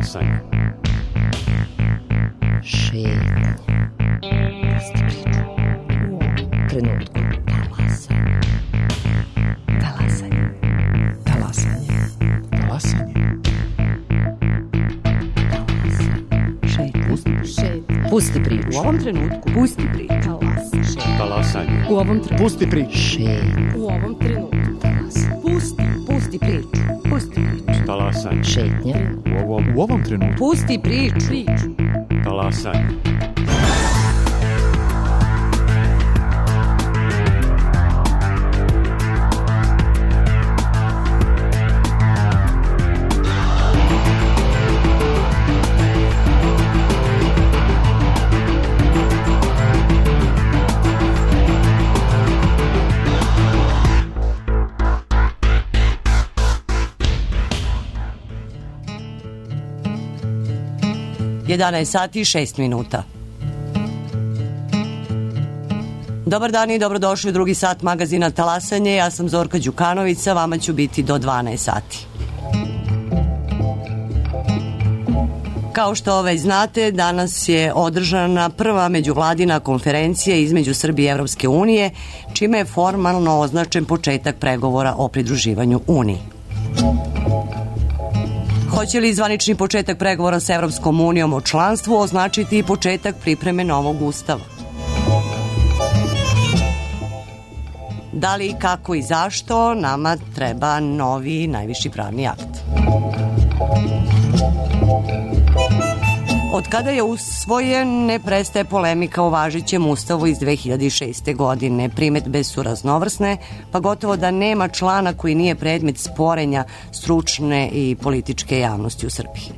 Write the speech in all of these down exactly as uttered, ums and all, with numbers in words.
Talasanje. Šetnje. Pusti priču. U ovom trenutku. Talasanje. Talasanje. Talasanje. Talasanje. Pusti priču. U ovom trenutku. Pusti priču. Talas. Talasanje. U ovom trenutku. Pusti priču. Šetnje. U ovom trenutku. Talas. Pusti. Pusti priču. Pusti priču. Talasanje. Šetnje. U ovom, U ovom trenutku. Pusti priču. Priču. talasanje. jedanaest sati i šest minuta. Dobar dan i dobrodošli u drugi sat magazina Talasanje. Ja sam Zorka Đukanović, sa vama ću biti do dvanaest sati. Kao što već znate, danas je održana prva međuvladina konferencija između Srbije i Evropske unije, čime je formalno označen početak pregovora o pridruživanju Uniji. Hoće li zvanični početak pregovora sa Evropskom unijom o članstvu označiti i početak pripreme novog ustava? Da li, kako i zašto nama treba novi najviši pravni akt? Od kada je usvojen, ne prestaje polemika o važećem ustavu iz dve hiljade šeste. godine. Primetbe su raznovrsne, pa gotovo da nema člana koji nije predmet sporenja stručne i političke javnosti u Srbiji.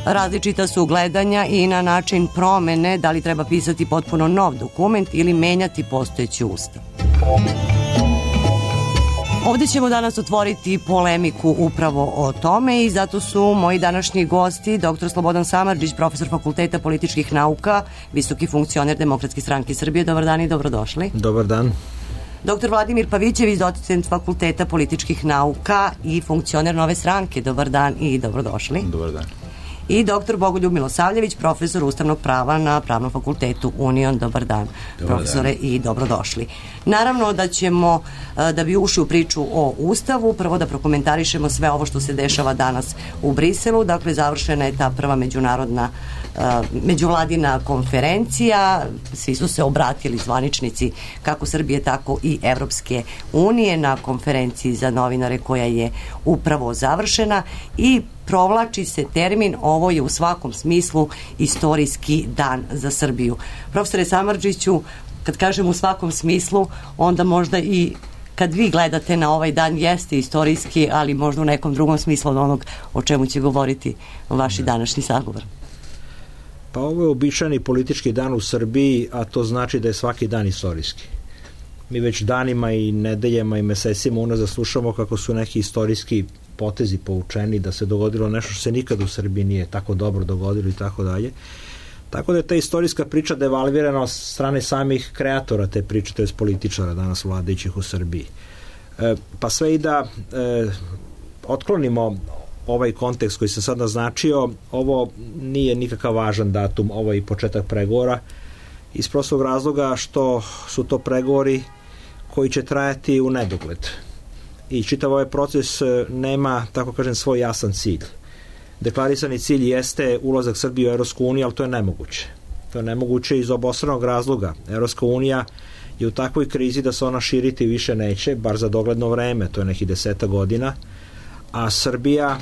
Različita su gledanja i na način promene, da li treba pisati potpuno nov dokument ili menjati postojeći ustav. Ovdje ćemo danas otvoriti polemiku upravo o tome i zato su moji današnji gosti doktor Slobodan Samardžić, profesor Fakulteta političkih nauka, visoki funkcioner Demokratske stranke Srbije. Dobar dan i dobrodošli. Dobar dan. Doktor Vladimir Pavićević, docent Fakulteta političkih nauka i funkcioner Nove stranke. Dobar dan i dobrodošli. Dobar dan. I doktor Bogoljub Milosavljević, profesor ustavnog prava na Pravnom fakultetu Union. Dobar dan, Dobar profesore, dan. I dobrodošli. Naravno da ćemo, da bi ušli u priču o Ustavu, prvo da prokomentarišemo sve ovo što se dešava danas u Briselu. Dakle, završena je ta prva međunarodna međuvladina konferencija. Svi su se obratili zvaničnici kako Srbije, tako i Evropske unije na konferenciji za novinare koja je upravo završena i provlači se termin, ovo je u svakom smislu istorijski dan za Srbiju. Profesore Samardžiću, kad kažem u svakom smislu, onda možda i kad vi gledate na ovaj dan jeste istorijski, ali možda u nekom drugom smislu od onog o čemu će govoriti vaši današnji sagovor. Pa ovo je običajni politički dan u Srbiji, a to znači da je svaki dan istorijski. Mi već danima i nedeljama i mesecima unazad slušamo kako su neki istorijski potezi povučeni, da se dogodilo nešto što se nikad u Srbiji nije tako dobro dogodilo i tako dalje. Tako da je ta istorijska priča devalvirana od strane samih kreatora te priče, to je političara danas vladajućih u Srbiji. E, pa sve i da e, otklonimo ovaj kontekst koji se sad naznačio, ovo nije nikakav važan datum, ovo je i početak pregovora, iz prostog razloga što su to pregovori koji će trajati u nedogled. I čitav ovaj proces nema, tako kažem, svoj jasan cilj. Deklarisani cilj jeste ulazak Srbije u Evropsku uniju, ali to je nemoguće. To je nemoguće iz obostranog razloga. Evropska unija je u takvoj krizi da se ona širiti više neće, bar za dogledno vreme, to je nekih deseta godina, a Srbija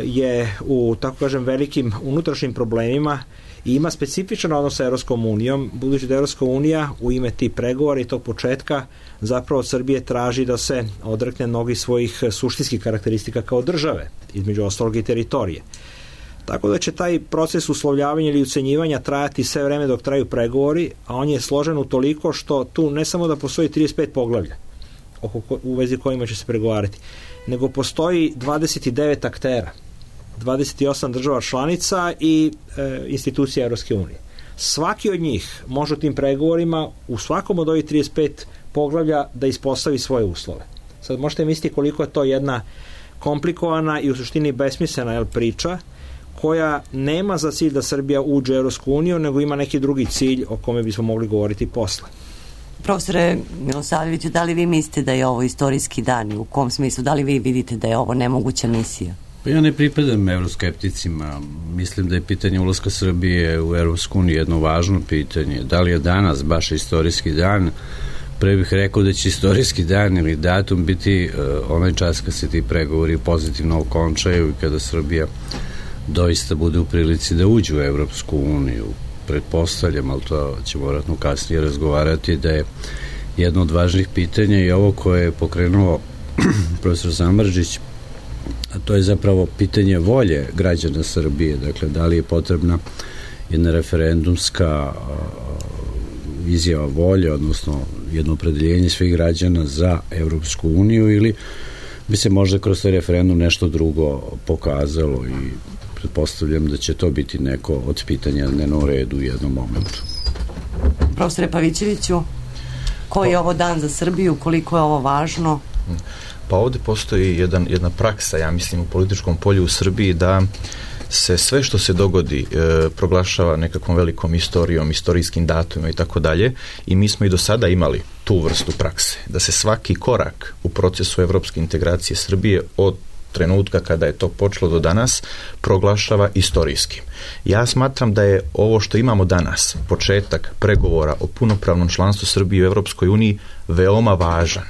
je u, tako kažem, velikim unutrašnjim problemima i ima specifičan odnos sa Evropskom unijom, budući da Evropska unija u ime tih pregovora i tog početka zapravo od Srbije traži da se odrekne mnogih svojih suštinskih karakteristika kao države, između ostalog i teritorije. Tako da će taj proces uslovljavanja ili ucenjivanja trajati sve vreme dok traju pregovori, a on je složen utoliko što tu ne samo da postoji trideset pet poglavlja oko ko, u vezi kojima će se pregovarati, nego postoji dvadeset devet aktera, dvadeset osam država članica i e, institucija Evropske unije. Svaki od njih može u tim pregovorima u svakom od ovih trideset pet poglavlja da ispostavi svoje uslove. Sad možete misliti koliko je to jedna komplikovana i u suštini besmislena jel, priča koja nema za cilj da Srbija uđe u Evropsku uniju, nego ima neki drugi cilj o kome bismo mogli govoriti posle. Profesore Milosavljeviću, da li vi mislite da je ovo istorijski dan i u kom smislu? Da li vi vidite da je ovo nemoguća misija? Pa ja ne pripadam euroskepticima. Mislim da je pitanje ulaska Srbije u Evropsku uniju jedno važno pitanje. Da li je danas baš istorijski dan? Pre bih rekao da će istorijski dan ili datum biti uh, onaj čas kad se ti pregovori pozitivno okončaju i kada Srbija doista bude u prilici da uđe u Evropsku uniju. Pretpostavljam, ali to ćemo vjerojatno kasnije razgovarati, da je jedno od važnih pitanja i ovo koje je pokrenuo profesor Samardžić, a to je zapravo pitanje volje građana Srbije. Dakle, da li je potrebna jedna referendumska izjava volje, odnosno jedno opredeljenje svih građana za Evropsku uniju, ili bi se možda kroz taj referendum nešto drugo pokazalo, i pretpostavljam da će to biti neko od pitanja na dnevnom redu u jednom momentu. Profesore Pavićeviću, koji je ovo dan za Srbiju, koliko je ovo važno? Pa ovde postoji jedan, jedna praksa, ja mislim, u političkom polju u Srbiji, da se sve što se dogodi e, proglašava nekakvom velikom istorijom, istorijskim datumima i tako dalje, i mi smo i do sada imali tu vrstu prakse, da se svaki korak u procesu evropske integracije Srbije od trenutka kada je to počelo do danas proglašava istorijskim. Ja smatram da je ovo što imamo danas, početak pregovora o punopravnom članstvu Srbije u Evropskoj uniji, veoma važan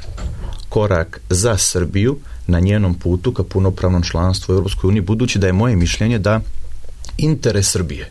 korak za Srbiju na njenom putu ka punopravnom članstvu u Evropskoj uniji, budući da je moje mišljenje da interes Srbije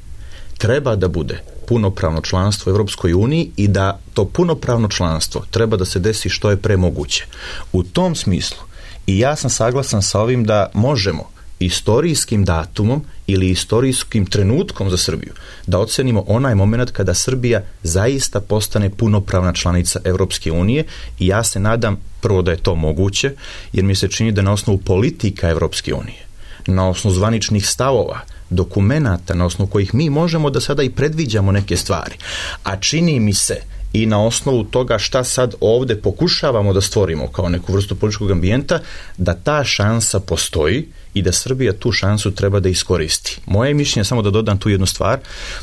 treba da bude punopravno članstvo u Evropskoj uniji i da to punopravno članstvo treba da se desi što je pre moguće. U tom smislu i ja sam saglasan sa ovim da možemo istorijskim datumom ili istorijskim trenutkom za Srbiju da ocenimo onaj moment kada Srbija zaista postane punopravna članica Evropske unije, i ja se nadam prvo da je to moguće, jer mi se čini da na osnovu politika Evropske unije, na osnovu zvaničnih stavova, dokumenata na osnovu kojih mi možemo da sada i predviđamo neke stvari, a čini mi se i na osnovu toga šta sad ovde pokušavamo da stvorimo kao neku vrstu političkog ambijenta, da ta šansa postoji i da Srbija tu šansu treba da iskoristi. Moje mišljenje, samo da dodam tu jednu stvar,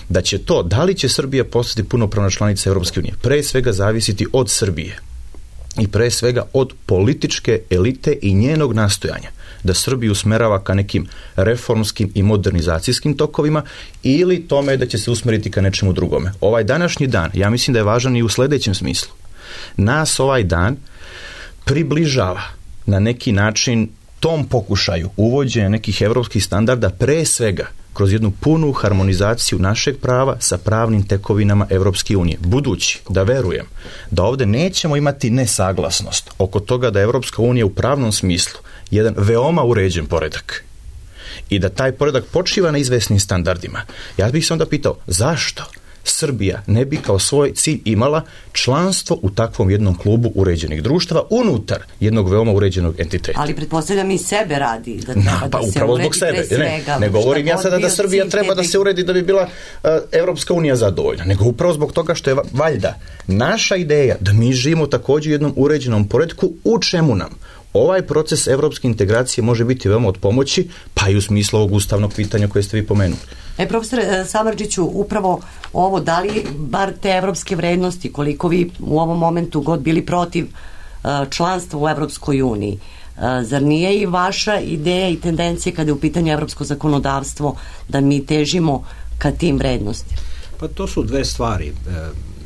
da će to, da li će Srbija postati punopravna članica Evropske unije, pre svega zavisiti od Srbije i pre svega od političke elite i njenog nastojanja da Srbiju usmerava ka nekim reformskim i modernizacijskim tokovima, ili tome da će se usmeriti ka nečemu drugome. Ovaj današnji dan, ja mislim da je važan i u sledećem smislu. Nas ovaj dan približava na neki način tom pokušaju uvođenja nekih evropskih standarda, pre svega kroz jednu punu harmonizaciju našeg prava sa pravnim tekovinama Evropske unije. Budući da verujem da ovde nećemo imati nesaglasnost oko toga da je Evropska unija u pravnom smislu jedan veoma uređen poredak i da taj poredak počiva na izvesnim standardima, ja bih se onda pitao zašto Srbija ne bi kao svoj cilj imala članstvo u takvom jednom klubu uređenih društava unutar jednog veoma uređenog entiteta. Ali pretpostavljam i sebe radi da treba no, pa, da se upravo uredi zbog sebe. pre svega. Ne, ne govorim ja sada da Srbija treba da se uredi da bi bila uh, Evropska unija zadovoljna, nego upravo zbog toga što je valjda naša ideja da mi živimo također u jednom uređenom poretku, u čemu nam ovaj proces evropske integracije može biti veoma od pomoći, pa i u smislu ovog ustavnog pitanja koje ste vi pomenuli. E, profesore Samardžiću, upravo ovo, da li bar te evropske vrednosti, koliko vi u ovom momentu god bili protiv članstva u Evropskoj uniji, zar nije i vaša ideja i tendencija kada je u pitanju evropsko zakonodavstvo da mi težimo ka tim vrednostima? Pa to su dve stvari.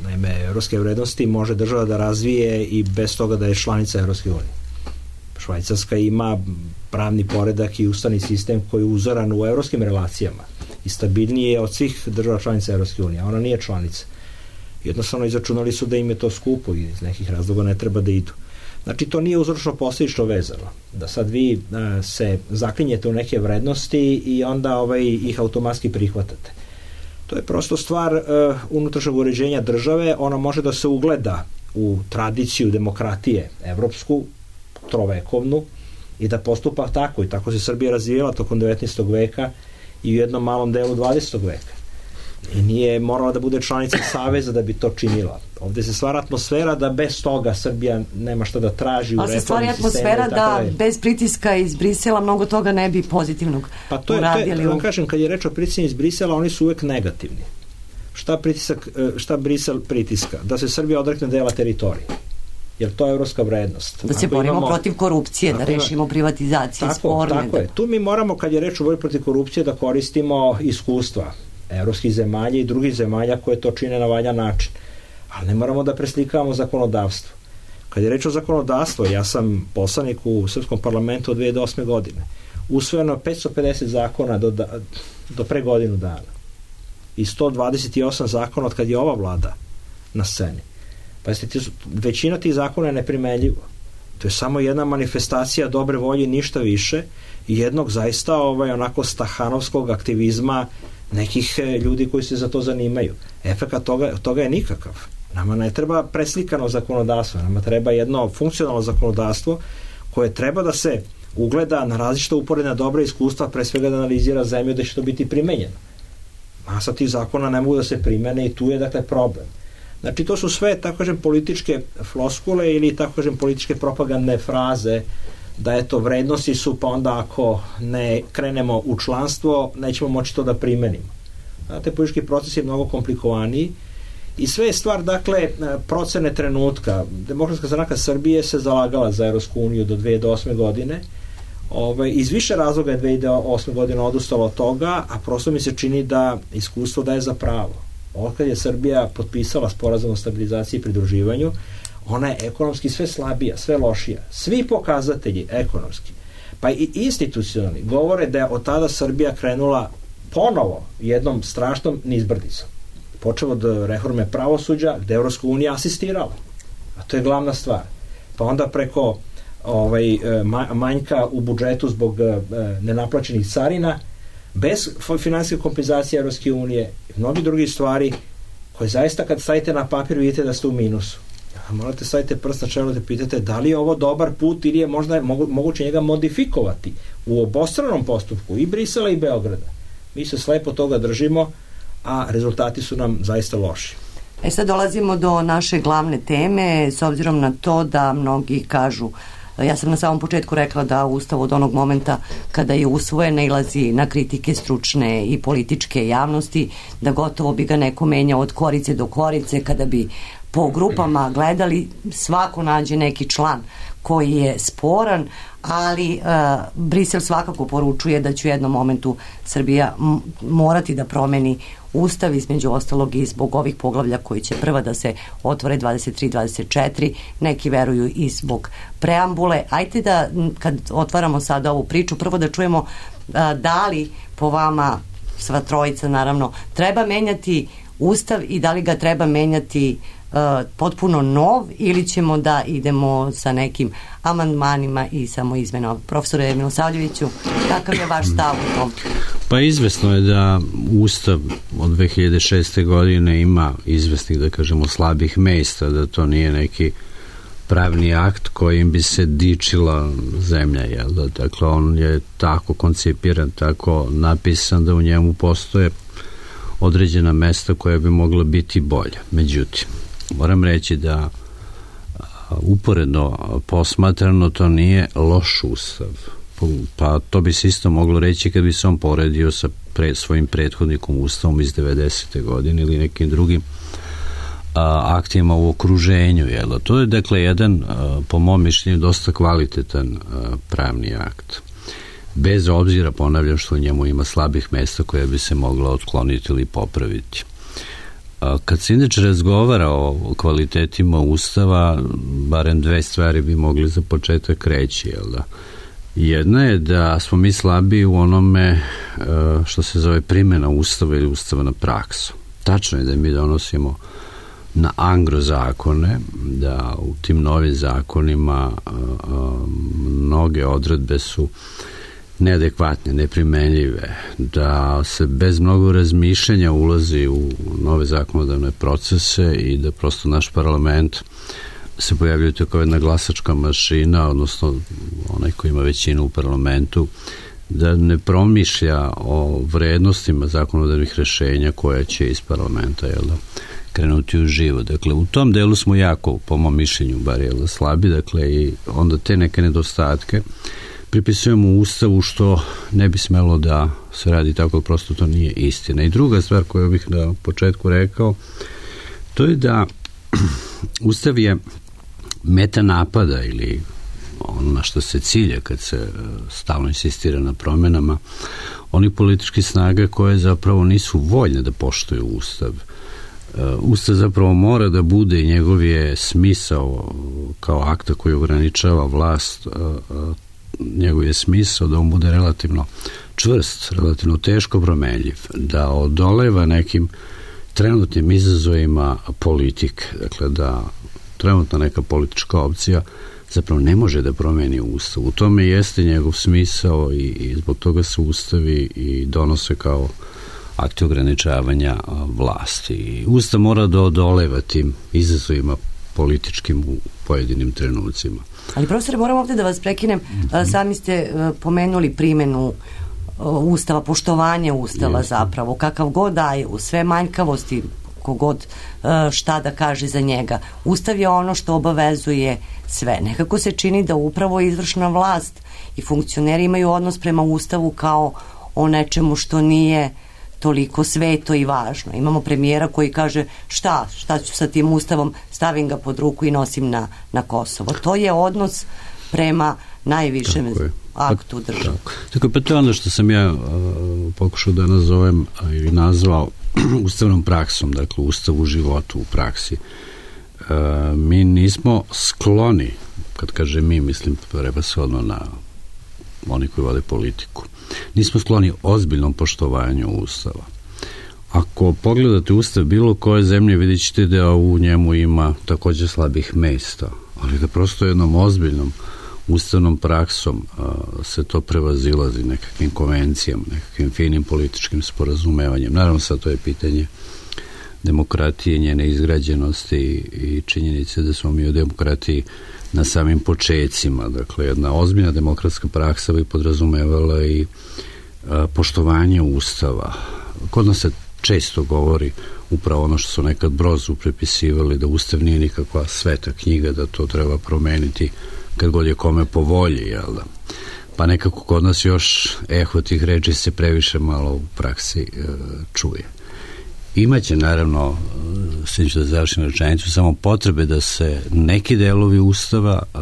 Naime, evropske vrednosti može država da razvije i bez toga da je članica Evropske unije. Švajcarska ima pravni poredak i ustavni sistem koji je uzoran u evropskim relacijama i stabilnije je od svih država članica Evropske unije, a ona nije članica. Jednostavno izračunali su da im je to skupo i iz nekih razloga ne treba da idu. Znači, to nije uzročno posledično vezano. Da sad vi a, se zaklinjete u neke vrednosti i onda ovaj, ih automatski prihvatate. To je prosto stvar a, unutrašnjeg uređenja države, ona može da se ugleda u tradiciju demokratije evropsku, trovekovnu, i da postupa tako, i tako se Srbija razvijela tokom devetnaestog veka i u jednom malom delu dvadesetog veka. i nije morala da bude članica saveza da bi to činila. Ovde se stvara atmosfera da bez toga Srbija nema šta da traži u reformi sistema. Ali se stvari atmosfera da bez pritiska iz Brisela mnogo toga ne bi pozitivnog pa to je, uradili. To je, vam kažem, kad je reč o pritiscima iz Brisela, oni su uvek negativni. Šta, pritisak, šta Brisel pritiska? Da se Srbija odrekne dela teritorije. Jer to je evropska vrednost. Da se ako borimo imamo, protiv korupcije, da rešimo privatizacije tako, sporne. Tako da... je. Tu mi moramo, kad je reč o borbi protiv korupcije, da koristimo iskustva evropskih zemalja i drugih zemalja koje to čine na valjan način. Ali ne moramo da preslikavamo zakonodavstvo. Kad je reč o zakonodavstvu, ja sam poslanik u Srpskom parlamentu od dve hiljade osme godine. Usvojeno petsto pedeset zakona do, da, do pre godinu dana. I sto dvadeset osam zakona od kad je ova vlada na sceni. Pa jeste, većina tih zakona je neprimenljiva. To je samo jedna manifestacija dobre volje, ništa više, i jednog zaista ovaj, onako stahanovskog aktivizma nekih ljudi koji se za to zanimaju. Efekat toga, toga je nikakav. Nama ne treba preslikano zakonodavstvo, nama treba jedno funkcionalno zakonodavstvo koje treba da se ugleda na različita uporedna dobra iskustva, pre svega da analizira zemlju da će to biti primenjeno. Masa tih zakona ne mogu da se primene i tu je dakle problem. Znači to su sve, tako kažem, političke floskule ili, tako kažem, političke propagandne fraze da eto vrednosti su, pa onda ako ne krenemo u članstvo nećemo moći to da primenimo. Znate, politički proces je mnogo komplikovaniji i sve je stvar, dakle, procene trenutka. Demokratska stranka Srbije se zalagala za Evropsku uniju do dve hiljade osme godine. Ove, iz više razloga je dve hiljade osme godine odustalo od toga, a prosto mi se čini da iskustvo daje za pravo. Otkad je Srbija potpisala sporazum o stabilizaciji i pridruživanju, ona je ekonomski sve slabija, sve lošija. Svi pokazatelji ekonomski, pa i institucionalni, govore da je od tada Srbija krenula ponovo jednom strašnom nizbrdicom. Počeo od reforme pravosuđa, gde Evropska unija asistirala. A to je glavna stvar. Pa onda preko ovaj, manjka u budžetu zbog nenaplaćenih carina, bez finansijske kompenzacije Evropske unije i mnogi drugi stvari koje zaista kad stavite na papir vidite da ste u minusu. A morate stavite prst na čelo da pitate da li je ovo dobar put ili je možda mogu, moguće njega modifikovati u obostranom postupku i Brisela i Beograda. Mi se slepo toga držimo, a rezultati su nam zaista loši. E sad dolazimo do naše glavne teme, s obzirom na to da mnogi kažu, ja sam na samom početku rekla da Ustav od onog momenta kada je usvojen nailazi na kritike stručne i političke javnosti, da gotovo bi ga neko menjao od korice do korice, kada bi po grupama gledali, svako nađe neki član koji je sporan, ali uh, Brisel svakako poručuje da će u jednom momentu Srbija m- morati da promeni Ustav, između ostalog i zbog ovih poglavlja koji će prva da se otvore dvadeset tri dvadeset četiri, neki veruju i zbog preambule. Ajte da, kad otvaramo sada ovu priču, prvo da čujemo uh, da li po vama, sva trojica naravno, treba menjati Ustav i da li ga treba menjati Uh, potpuno nov ili ćemo da idemo sa nekim amandmanima i samo izmenama. Profesore Milosavljeviću, kakav je vaš stav u tom? Pa izvesno je da Ustav od dve hiljade šeste godine ima izvesnih, da kažemo, slabih mesta, da to nije neki pravni akt kojim bi se dičila zemlja, jel da? Dakle, on je tako koncipiran, tako napisan da u njemu postoje određena mesta koja bi mogla biti bolja. Međutim, moram reći da uporedno posmatrano to nije loš Ustav. Pa to bi se isto moglo reći kad bi se on poredio sa pre, svojim prethodnikom Ustavom iz devedesete godine ili nekim drugim a, aktima u okruženju. Jel? To je dakle jedan, a, po mom mišljenju, dosta kvalitetan a, pravni akt. Bez obzira, ponavljam, što u njemu ima slabih mesta koja bi se mogla otkloniti ili popraviti. Kad se inače razgovara o kvalitetima Ustava, barem dve stvari bi mogli za početak reći, jel da? Jedna je da smo mi slabiji u onome što se zove primjena Ustava ili ustavna praksa. Tačno je da mi donosimo na angro zakone, da u tim novim zakonima mnoge odredbe su neadekvatne, neprimenljive, da se bez mnogo razmišljanja ulazi u nove zakonodavne procese i da prosto naš parlament se pojavljuje kao jedna glasačka mašina, odnosno onaj koji ima većinu u parlamentu, da ne promišlja o vrednostima zakonodavnih rešenja koja će iz parlamenta, jel da, krenuti u živo. Dakle, u tom delu smo jako, po mom mišljenju, bar jel da, slabi, dakle, i onda te neke nedostatke pripisujemo u Ustavu, što ne bi smelo da se radi tako, prosto to nije istina. I druga stvar koju bih na početku rekao, to je da Ustav je meta napada ili ono na što se cilje kad se stalno insistira na promenama onih političkih snaga koje zapravo nisu voljne da poštuju Ustav. Ustav zapravo mora da bude i njegov je smisao kao akta koji ograničava vlast, njegov je smisao da on bude relativno čvrst, relativno teško promenljiv, da odoleva nekim trenutnim izazovima politike. Dakle, da trenutna neka politička opcija zapravo ne može da promeni Ustav. U tome jeste njegov smisao i, i zbog toga se ustavi i donose kao akti ograničavanja vlasti. I Ustav mora da odoleva tim izazovima političkim u pojedinim trenucima. Ali profesore, moram ovde da vas prekinem. Mm-hmm. Sami ste pomenuli primjenu Ustava, poštovanje Ustava Jeste. Zapravo, kakav god daje, u sve manjkavosti, kogod šta da kaže za njega. Ustav je ono što obavezuje sve. Nekako se čini da upravo izvršna vlast i funkcioneri imaju odnos prema Ustavu kao o nečemu što nije toliko sveto i važno. Imamo premijera koji kaže šta, šta ću sa tim Ustavom, stavim ga pod ruku i nosim na, na Kosovo. To je odnos prema najvišem aktu države. Tako. Tako, pa to je ono što sam ja uh, pokušao da nazovem uh, ili nazvao ustavnom praksom, dakle ustav u životu, u praksi. Uh, mi nismo skloni, kad kaže mi, mislim prevashodno na oni koji vode politiku, nismo skloni ozbiljnom poštovanju Ustava. Ako pogledate Ustav bilo koje zemlje, vidjet ćete da u njemu ima također slabih mesta, ali da prosto jednom ozbiljnom ustavnom praksom a, se to prevazilazi nekakvim konvencijama, nekakvim finim političkim sporazumevanjem. Naravno, sad to je pitanje demokratije, njene izgrađenosti i činjenice da smo mi u demokratiji na samim počecima. Dakle, jedna ozbiljna demokratska praksa bi podrazumevala i a, poštovanje Ustava. Kod nas se često govori upravo ono što su nekad Brozu prepisivali, da Ustav nije nikakva sveta knjiga, da to treba promeniti kad god je kome po volji, jel da? Pa nekako kod nas još eho tih reči se previše malo u praksi e, čuje. Imaće, naravno, sve ću da završim rečenicu, samo potrebe da se neki delovi Ustava e,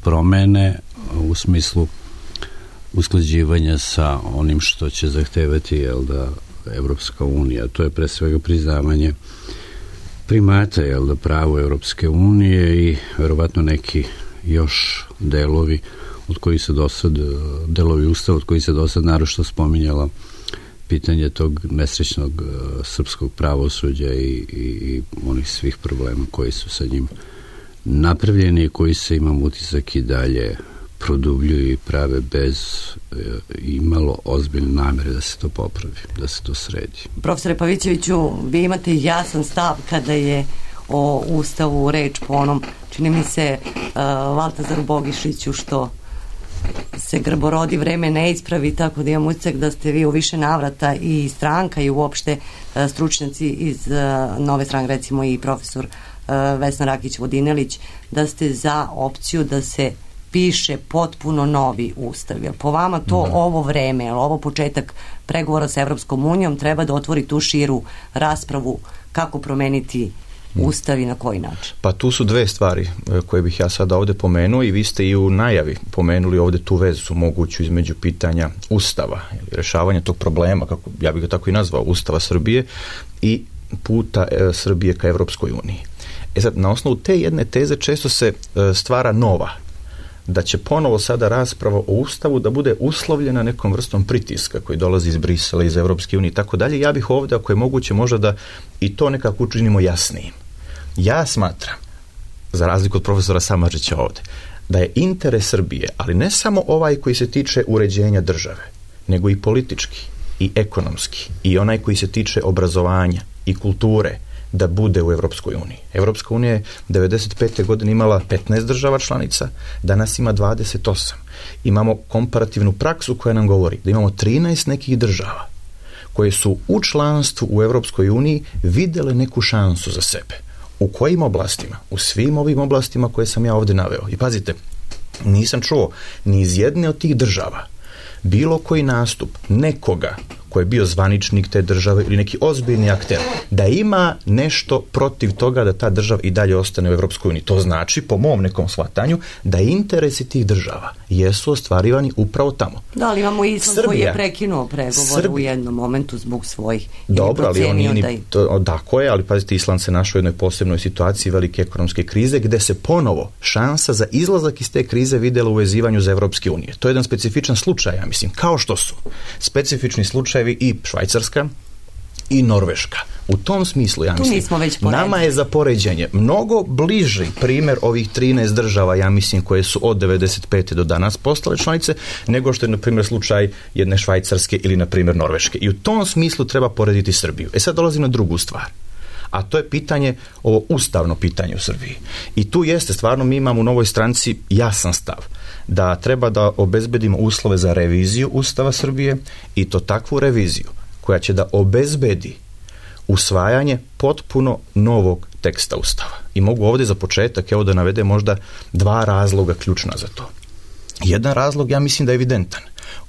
promene u smislu usklađivanja sa onim što će zahtevati, jel da, Evropska unija. To je pre svega priznavanje primata, jel da, pravo Evropske unije i verovatno neki još delovi od kojih se dosad, delovi Ustava od kojih se dosad naročito spominjala pitanje tog nesrećnog uh, srpskog pravosuđa i, i, i onih svih problema koji su sa njim napravljeni i koji se, imam utisak, i dalje produbljuju i prave bez uh, imalo ozbiljne namere da se to popravi, da se to sredi. Profesore Pavićeviću, vi imate jasan stav kada je o Ustavu reč po onom, čini mi se, uh, Valtazaru Bogišiću, što se grborodi vreme ne ispravi, tako da imam utisak da ste vi u više navrata i stranka i uopšte uh, stručnjaci iz uh, Nove stranke, recimo i profesor uh, Vesna Rakić-Vodinelić, da ste za opciju da se piše potpuno novi Ustav. Jel po vama to da. Ovo vreme, jel ovo početak pregovora sa Evropskom unijom treba da otvori tu širu raspravu kako promeniti Ustav i na koji način? Pa tu su dve stvari koje bih ja sada ovde pomenuo i vi ste i u najavi pomenuli ovde tu vezu moguću između pitanja Ustava, rešavanja tog problema, kako ja bih ga tako i nazvao, Ustava Srbije i puta e, Srbije ka Evropskoj uniji. E sad, na osnovu te jedne teze često se e, stvara nova, da će ponovo sada rasprava o Ustavu da bude uslovljena nekom vrstom pritiska koji dolazi iz Brisela, iz Evropske unije i tako dalje. Ja bih ovde, ako je moguće, možda da i to nekako učinimo jasnijim. Ja smatram, za razliku od profesora Samardžića ovde, da je interes Srbije, ali ne samo ovaj koji se tiče uređenja države, nego i politički, i ekonomski, i onaj koji se tiče obrazovanja i kulture, da bude u Evropskoj uniji. Evropska unija je devedeset pete godine imala petnaest država članica, danas ima dvadeset osam. Imamo komparativnu praksu koja nam govori da imamo trinaest nekih država koje su u članstvu u Evropskoj uniji videle neku šansu za sebe. U kojim oblastima? U svim ovim oblastima koje sam ja ovdje naveo. I pazite, nisam čuo ni iz jedne od tih država bilo koji nastup nekoga ko je bio zvaničnik te države ili neki ozbiljni akter, da ima nešto protiv toga da ta država i dalje ostane u Evropskoj uniji. To znači, po mom nekom shvatanju, da interesi tih država jesu ostvarivani upravo tamo. Da, ali imamo Island Srbija, koji je prekinuo pregovore Srbija. u jednom momentu zbog svojih. Dobro, ali on nije ni... To, tako je, ali pazite, Island se našao u jednoj posebnoj situaciji velike ekonomske krize, gde se ponovo šansa za izlazak iz te krize videla u vezivanju za Evropske unije. To je jedan specifičan slučaj, ja mislim, kao što su specifični slučajevi i Švajcarska i Norveška. U tom smislu, ja mislim, nama je za poređenje mnogo bliži primjer ovih trinaest država, ja mislim, koje su od devedeset pete do danas postale članice, nego što je, na primjer, slučaj jedne Švajcarske ili, na primjer, Norveške. I u tom smislu treba porediti Srbiju. E sad dolazim na drugu stvar. A to je pitanje, ovo ustavno pitanje u Srbiji. I tu jeste, stvarno, mi imamo u Novoj stranci jasan stav da treba da obezbedimo uslove za reviziju Ustava Srbije, i to takvu reviziju koja će da obezbedi usvajanje potpuno novog teksta Ustava. I mogu ovdje za početak, evo, da navede možda dva razloga ključna za to. Jedan razlog, ja mislim da je evidentan.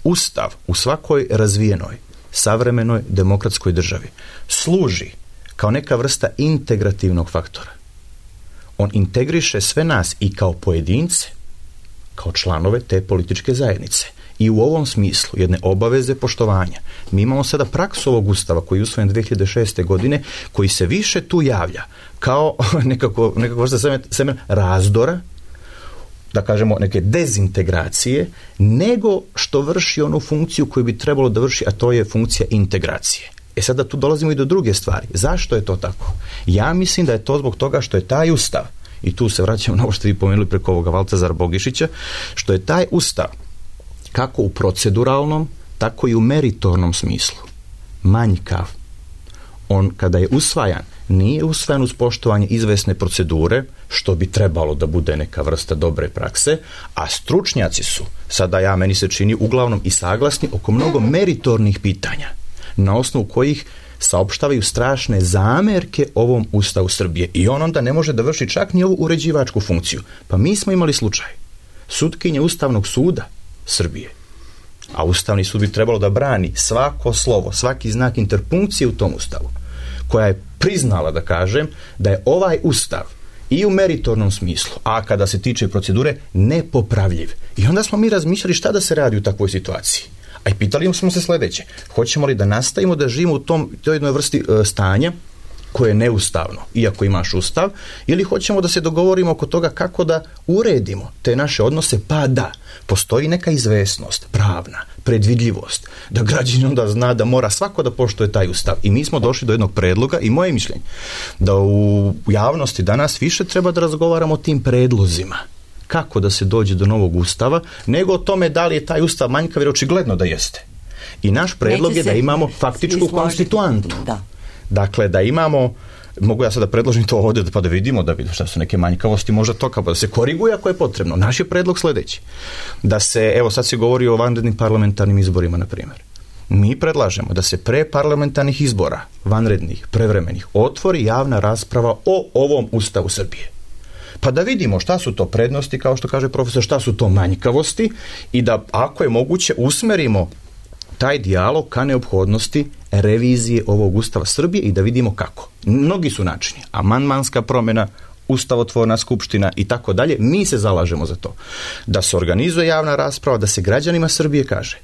Ustav u svakoj razvijenoj, savremenoj demokratskoj državi služi kao neka vrsta integrativnog faktora. On integriše sve nas i kao pojedince, kao članove te političke zajednice. I u ovom smislu jedne obaveze poštovanja. Mi imamo sada praksu ovog Ustava koji je usvojen dve hiljade šeste. godine, koji se više tu javlja kao nekako, nekako vrsta semen, semen razdora, da kažemo neke dezintegracije, nego što vrši onu funkciju koju bi trebalo da vrši, a to je funkcija integracije. E sada tu dolazimo i do druge stvari. Zašto je to tako? Ja mislim da je to zbog toga što je taj Ustav, i tu se vraćamo na ovo što vi pomenuli preko ovoga Valtazara Bogišića, što je taj Ustav kako u proceduralnom, tako i u meritornom smislu manjkav. On, kada je usvajan, nije usvajan uz poštovanje izvesne procedure, što bi trebalo da bude neka vrsta dobre prakse, a stručnjaci su, sada ja meni se čini, uglavnom i saglasni oko mnogo meritornih pitanja, na osnovu kojih saopštavaju strašne zamerke ovom Ustavu Srbije. I on onda ne može da vrši čak ni ovu uređivačku funkciju. Pa mi smo imali slučaj sutkinje Ustavnog suda Srbije, a Ustavni sud bi trebalo da brani svako slovo, svaki znak interpunkcije u tom Ustavu, koja je priznala, da kažem, da je ovaj Ustav i u meritornom smislu, a kada se tiče procedure, nepopravljiv. I onda smo mi razmišljali šta da se radi u takvoj situaciji. A i pitali smo se sljedeće: hoćemo li da nastavimo da živimo u tom, toj jednoj vrsti e, stanja koje je neustavno, iako imaš Ustav, ili hoćemo da se dogovorimo oko toga kako da uredimo te naše odnose, pa da postoji neka izvesnost, pravna, predvidljivost, da građanin onda zna da mora svako da poštuje taj Ustav. I mi smo došli do jednog predloga, i moje mišljenje, da u javnosti danas više treba da razgovaramo o tim predlozima, kako da se dođe do novog Ustava, nego o tome da li je taj Ustav manjkav, jer očigledno da jeste. I naš predlog je da imamo faktičku konstituantu. Da. Dakle, da imamo, mogu ja sada predložim to ovdje pa da vidimo da bi šta su neke manjkavosti, možda to kao da se koriguje ako je potrebno. Naš je predlog sljedeći: da se, evo sad se govori o vanrednim parlamentarnim izborima, na primjer. Mi predlažemo da se pre parlamentarnih izbora, vanrednih, prevremenih, otvori javna rasprava o ovom Ustavu Srbije. Pa da vidimo šta su to prednosti, kao što kaže profesor, šta su to manjkavosti, i da, ako je moguće, usmerimo taj dijalog ka neophodnosti revizije ovog Ustava Srbije i da vidimo kako. Mnogi su načini: amandmanska promjena, ustavotvorna skupština i tako dalje. Mi se zalažemo za to da se organizuje javna rasprava, da se građanima Srbije kaže: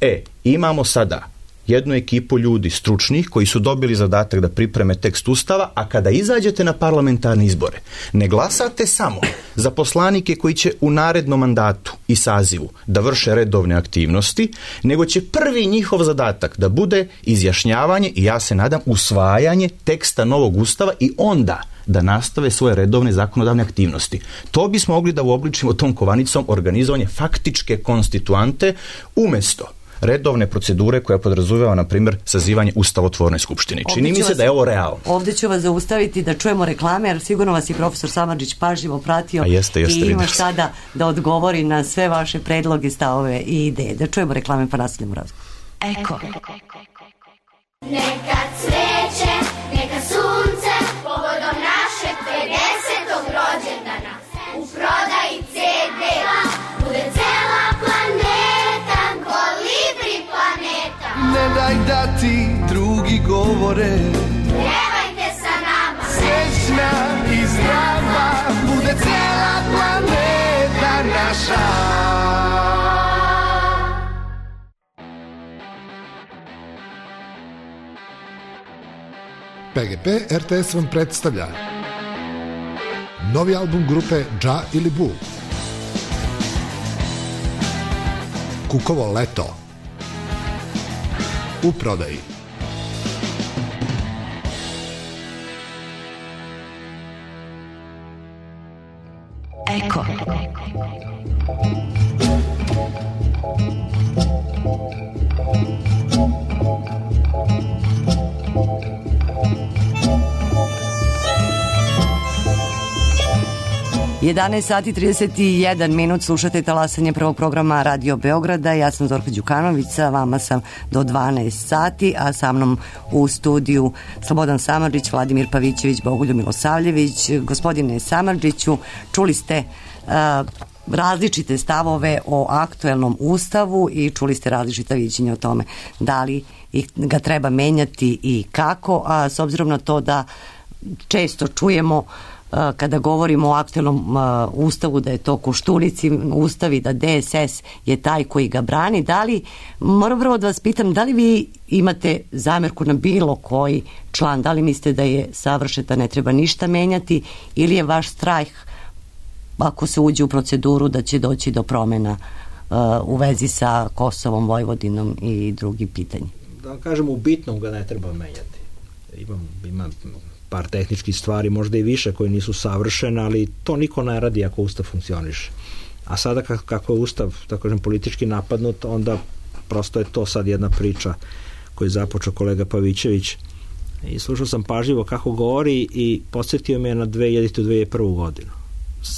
e, imamo sada jednu ekipu ljudi stručnih koji su dobili zadatak da pripreme tekst Ustava, a kada izađete na parlamentarne izbore, ne glasate samo za poslanike koji će u narednom mandatu i sazivu da vrše redovne aktivnosti, nego će prvi njihov zadatak da bude izjašnjavanje i, ja se nadam, usvajanje teksta novog Ustava, i onda da nastave svoje redovne zakonodavne aktivnosti. To bismo mogli da uobličimo tom kovanicom organizovanje faktičke konstituante, umjesto redovne procedure koja podrazumeva, na primjer, sazivanje ustavotvorne skupštine. Čini mi se da je ovo realno. Ovdje ću vas zaustaviti da čujemo reklame, jer sigurno vas je profesor Samardžić pažljivo pratio. A jeste, jeste, i ima sada da odgovori na sve vaše predloge, stavove i ideje. Da čujemo reklame pa nastavljamo razgovor. Eko. Neka cveće, neka sunce, povodom našeg pedesetog rođendana. U prodaji ce de bude cela planeta, Kolibri planeta. Ne daj da ti drugi govore, Pjevajte sa nama, srećna i zdrava, bude cela planeta naša. P G P R T S vam predstavlja novi album grupe Dža ili Bu, Kukovo leto, u prodaji. Eko. jedanaest sati trideset jedan minut, slušate talasanje prvog programa Radio Beograda. Ja sam Zorka Đukanović, sa vama sam do dvanaest sati, a sa mnom u studiju Slobodan Samardžić, Vladimir Pavićević, Bogoljub Milosavljević. Gospodine Samardžiću, čuli ste uh, različite stavove o aktuelnom ustavu i čuli ste različita viđenja o tome da li ga treba menjati i kako, a s obzirom na to da često čujemo kada govorimo o aktuelnom uh, ustavu da je to Koštunici ustav i da D S S je taj koji ga brani, da li, moram prvo da vas pitam, da li vi imate zamerku na bilo koji član, da li mislite da je savršen, da ne treba ništa menjati, ili je vaš strah ako se uđe u proceduru da će doći do promjena uh, u vezi sa Kosovom, Vojvodinom i drugim pitanjima? Da vam kažem, u bitnom ga ne treba menjati. Imam, imam par tehničkih stvari, možda i više, koje nisu savršene, ali to niko ne radi ako ustav funkcioniše. A sada kako je ustav, tako kažem, politički napadnut, onda prosto je to sad jedna priča koju je započeo kolega Pavićević. I slušao sam pažljivo kako govori i podsjetio me na dve hiljadite. dve hiljade prve. godinu.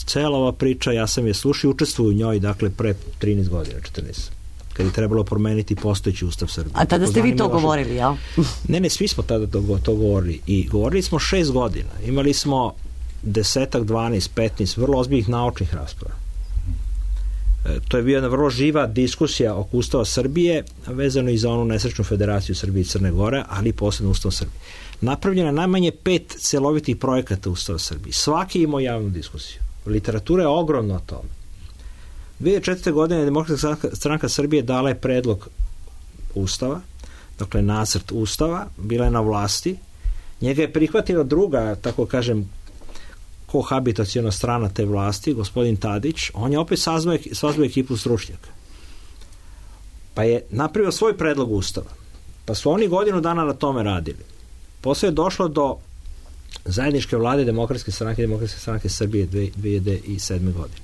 Cela ova priča, ja sam je slušao i učestvuju u njoj, dakle, pre trinaest godina, četrnaest. Kad je trebalo promeniti postojeći ustav Srbije. A tada ste vi to govorili, jel? Ne, ne, svi smo tada to, to govorili. I govorili smo šest godina. Imali smo desetak, dvanaest, petnaest vrlo ozbiljnih naučnih rasprava. E, to je bila jedna vrlo živa diskusija oko ustava Srbije, vezano i za onu nesrećnu federaciju Srbije i Crne Gore, ali i posebno ustav Srbije. Napravljeno je najmanje pet celovitih projekata ustava Srbije. Svaki imao javnu diskusiju. Literatura je ogromna o tome. dve hiljade četvrte. godine Demokratska stranka Srbije dala je predlog ustava, dakle nacrt ustava, bila je na vlasti, njega je prihvatila druga, tako kažem, kohabitaciona strana te vlasti, gospodin Tadić, on je opet sazvao, sazvao ekipu stručnjaka. Pa je napravio svoj predlog ustava. Pa su oni godinu dana na tome radili. Posle je došlo do zajedničke vlade Demokratske stranke i Demokratske stranke Srbije dve hiljade sedme. godine,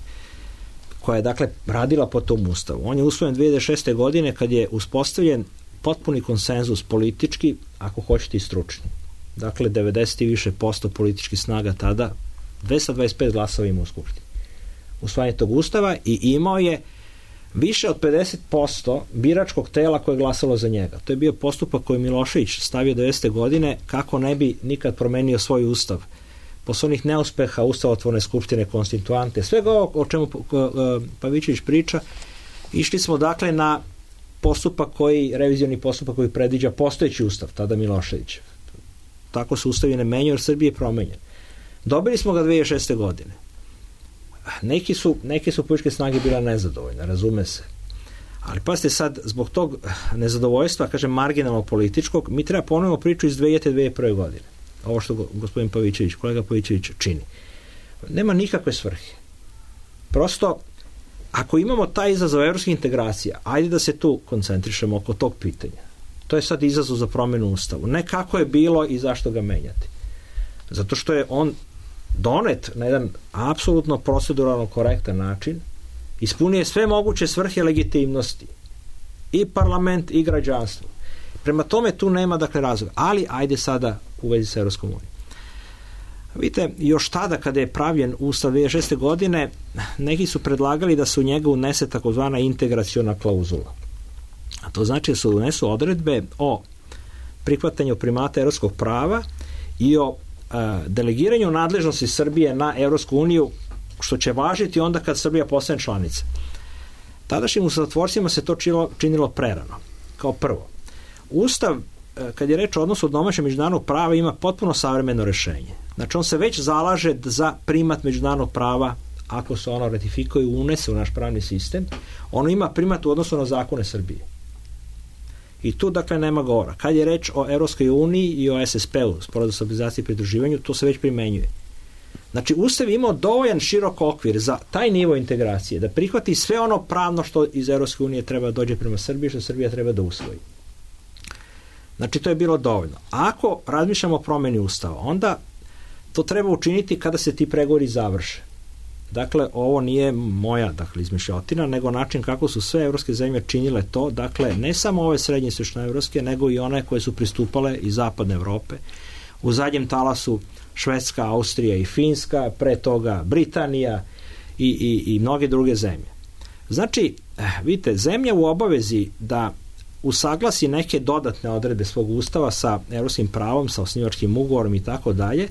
koja je, dakle, radila po tom ustavu. On je usvojen dve hiljade šeste. godine kad je uspostavljen potpuni konsenzus politički, ako hoćete i stručni. Dakle, devedeset i više posto političkih snaga tada, dvesta dvadeset pet glasova ima u Skupštini. Usvajanje tog ustava i imao je više od pedeset posto biračkog tela koje je glasalo za njega. To je bio postupak koji Milošević stavio devedesete. godine kako ne bi nikad promenio svoj ustav. Posle onih neuspeha ustavotvorne skupštine, konstituante, svega ovo o čemu Pavićević priča, išli smo, dakle, na postupak koji, revizioni postupak koji predviđa postojeći ustav, tada Milošević. Tako se ustavi ne menjaju, jer Srbije je promenjen. Dobili smo ga dve hiljade šeste. godine. Neki su, neke su političke snage bila nezadovoljne, razume se. Ali pazite sad, zbog tog nezadovoljstva, kažem, marginalnog političkog, mi treba ponovno priču iz dve hiljade. dve hiljade prve. godine. Ovo što gospodin Pavićević, kolega Pavićević čini. Nema nikakve svrhe. Prosto, ako imamo taj izazov evropskih integracija, ajde da se tu koncentrišemo oko tog pitanja. To je sad izazov za promjenu ustavu. Ne kako je bilo i zašto ga menjati. Zato što je on donet na jedan apsolutno proceduralno korektan način, ispunije sve moguće svrhe legitimnosti. i parlament i građanstvo. Prema tome tu nema dakle razloga, ali ajde sada u vezi sa Evropskom unijom. Vidite, još tada kada je pravljen Ustav dve hiljade šeste. godine, neki su predlagali da se u njega unese takozvana integraciona klauzula. A to znači da se unesu odredbe o prihvatanju primata evropskog prava i o a, delegiranju nadležnosti Srbije na Evropsku uniju, što će važiti onda kad Srbija postane članica. Tadašnjim ustavotvorcima se to činilo, činilo prerano. Kao prvo, Ustav, kad je reč o odnosu domaćeg međunarodnog prava, ima potpuno savremeno rešenje. Znači, on se već zalaže za primat međunarodnog prava, ako se ono ratifikuje i unese u naš pravni sistem, ono ima primat u odnosu na zakone Srbije. I tu, dakle, nema govora. Kad je reč o Evropskoj uniji i o S S P-u, Sporazum o stabilizaciji i pridruživanju, to se već primenjuje. Znači, Ustav je imao dovoljan širok okvir za taj nivo integracije, da prihvati sve ono pravno što iz Evropske unije treba da dođe prema Srbiji, što Srbija treba da usvoji. Znači, to je bilo dovoljno. Ako razmišljamo o promeni Ustava, onda to treba učiniti kada se ti pregovori završe. Dakle, ovo nije moja, dakle, izmišljotina, nego način kako su sve evropske zemlje činile to, dakle, ne samo ove srednje istočnoevropske, nego i one koje su pristupale iz zapadne Evrope. U zadnjem talasu Švedska, Austrija i Finska, pre toga Britanija i, i, i mnoge druge zemlje. Znači, vidite, zemlja u obavezi da usaglasi neke dodatne odredbe svog ustava sa evropskim pravom, sa osnivačkim ugovorom i tako dalje,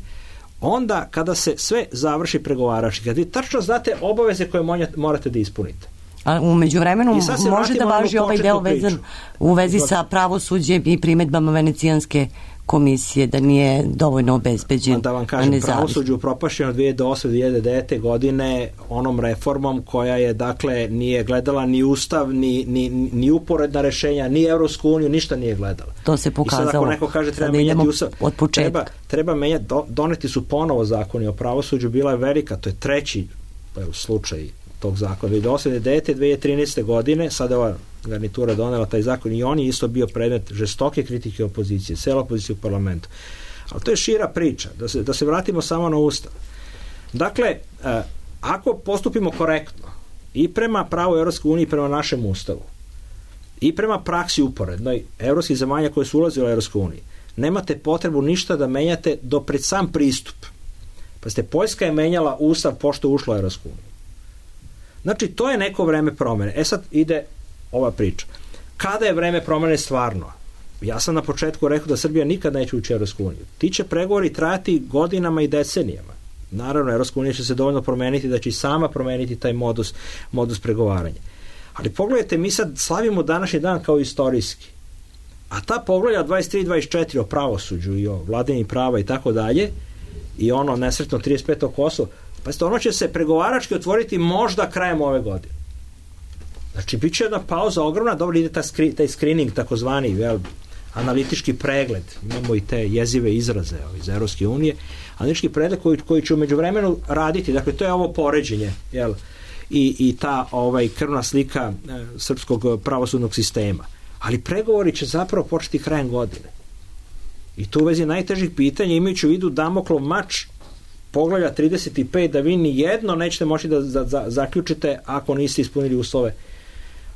onda kada se sve završi pregovarački, kada vi tačno znate obaveze koje morate da ispunite. A u međuvremenu može da važi ovaj deo vezan u vezi sa pravosuđem i primedbama Venecijanske komisije, da nije dovoljno obezbeđen. Da vam kažem, pravosuđe upropašćeno dve hiljade osme do dve hiljade devete. godine onom reformom koja je, dakle, nije gledala ni ustav, ni, ni, ni uporedna rešenja, ni Evropsku uniju, ništa nije gledala. To se pokazalo. I sad ako neko kaže treba menjati ustav, treba, treba menjati, do, doneti su ponovo zakoni o pravosuđu, bila je velika, to je treći evo, slučaj tog zakona. dve hiljade osme do dve hiljade devete. dve hiljade trinaeste. godine, sada ova garnitura donela taj zakon i on je isto bio predmet žestoke kritike opozicije, cela opozicija u parlamentu. Ali to je šira priča, da se, da se vratimo samo na ustav. Dakle, eh, ako postupimo korektno i prema pravu Evropske unije i prema našem ustavu i prema praksi uporednoj evropskih zemalja koje su ulazile u Evropsku uniju, nemate potrebu ništa da menjate do pred sam pristup. Pa ste, Poljska je menjala ustav pošto je ušla u Evropsku uniju. Znači, to je neko vreme promene. E sad ide ova priča. Kada je vreme promene stvarno? Ja sam na početku rekao da Srbija nikad neće ući u Evropsku uniju. Ti će pregovori trajati godinama i decenijama. Naravno, Evropska unija će se dovoljno promeniti da će i sama promeniti taj modus, modus pregovaranja. Ali pogledajte, mi sad slavimo današnji dan kao istorijski. A ta poglavlja dvadeset tri i dvadeset četiri o pravosuđu i o vladavini prava i tako dalje, i ono nesretno trideset peto Kosovo, pa ono će se pregovarački otvoriti možda krajem ove godine. Znači, bit će jedna pauza ogromna, dobro ide ta skri, taj screening, takozvani vel, analitički pregled, imamo i te jezive izraze iz Evropske unije, analitički pregled koji, koji će u međuvremenu raditi, dakle, to je ovo poređenje, jel, i, i ta ovaj, krvna slika e, srpskog pravosudnog sistema. Ali pregovori će zapravo početi krajem godine. I tu u vezi najtežih pitanja, imajući u vidu Damoklov mač poglavlja trideset pet, da vi ni jedno nećete moći da, da, da zaključite ako niste ispunili uslove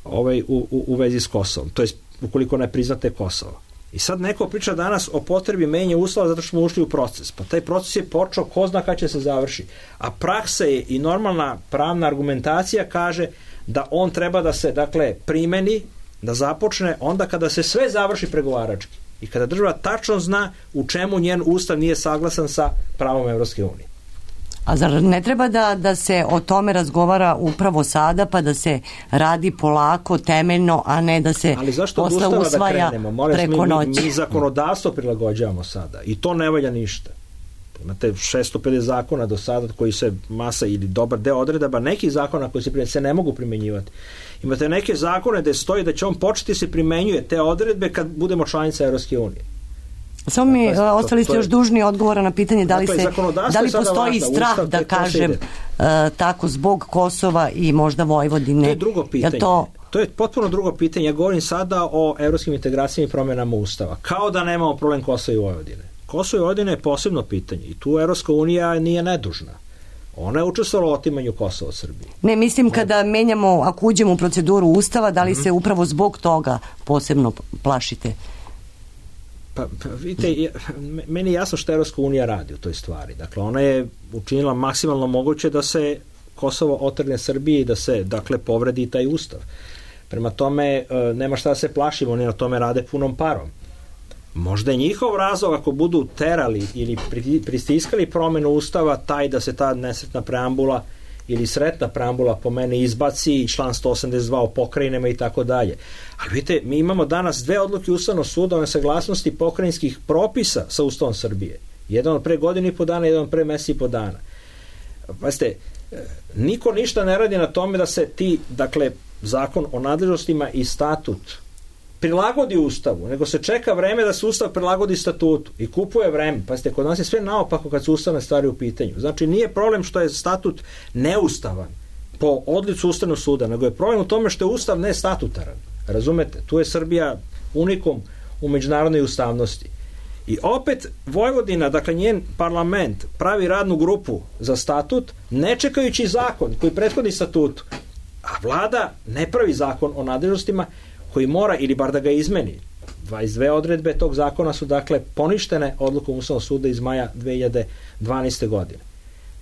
ovaj, u, u, u vezi s Kosovom, to je ukoliko ne priznate Kosovo. I sad neko priča danas o potrebi menjanja uslova zato što smo ušli u proces. Pa taj proces je počeo, ko zna kada će se završi. A praksa je i normalna pravna argumentacija kaže da on treba da se, dakle, primeni, da započne onda kada se sve završi pregovarački. I kada država tačno zna u čemu njen ustav nije saglasan sa pravom Evropske unije. A zar ne treba da, da se o tome razgovara upravo sada, pa da se radi polako, temeljno, a ne da se posle usvaja da preko noći? Mi, mi zakonodavstvo prilagođavamo sada i to ne valja ništa. Imate šesto pedeset zakona do sada koji se masa ili dobar deo odredaba nekih zakona koji se, se ne mogu primenjivati. Imate neke zakone gde stoji da će on početi se primenjuje te odredbe kad budemo članica Evropske unije. Samo mi dakle, ostali ste još dužni odgovora na pitanje da li, se, da li postoji strah Ustav, da kažem uh, tako zbog Kosova i možda Vojvodine. To je drugo pitanje. To... to je potpuno drugo pitanje. Ja govorim sada o evropskim integracijama i promjenama Ustava. Kao da nemamo problem Kosova i Vojvodine. Kosovo i Vojvodine je posebno pitanje i tu Evropska unija nije nedužna. Ona je učestvovala u otimanju Kosova od Srbije. Ne, mislim kada menjamo, ako uđemo u proceduru Ustava, da li se upravo zbog toga posebno plašite? Pa, pa vidite, meni je jasno što Evropska unija radi u toj stvari. Dakle, ona je učinila maksimalno moguće da se Kosovo otrgne Srbiji i da se, dakle, povredi taj ustav. Prema tome, nema šta da se plašimo, oni na tome rade punom parom. Možda je njihov razlog ako budu terali ili pristiskali promenu ustava taj da se ta nesretna preambula ili sretna preambula po mene izbaci i član sto osamdeset dva o pokrajinama i tako dalje. Ali vidite, mi imamo danas dve odluke Ustavnog suda o nesaglasnosti pokrajinskih propisa sa Ustavom Srbije. Jedan od pre godinu i po dana, jedan od pre mesec i po dana. Pazite, niko ništa ne radi na tome da se ti, dakle, zakon o nadležnostima i statut prilagodi Ustavu, nego se čeka vreme da se Ustav prilagodi statutu i kupuje vreme. Pazite, kod nas je sve naopako kad su ustavne stvari u pitanju. Znači, nije problem što je statut neustavan po odlicu Ustavnog suda, nego je problem u tome što je Ustav nestatutaran. Razumete? Tu je Srbija unikum u međunarodnoj ustavnosti. I opet Vojvodina, dakle njen parlament, pravi radnu grupu za statut, ne čekajući zakon koji prethodi statutu. A vlada ne pravi zakon o nadležnostima koji mora, ili bar da ga izmeni. dvadeset dve odredbe tog zakona su, dakle, poništene odlukom Ustavnog suda iz maja dve hiljade dvanaeste. godine.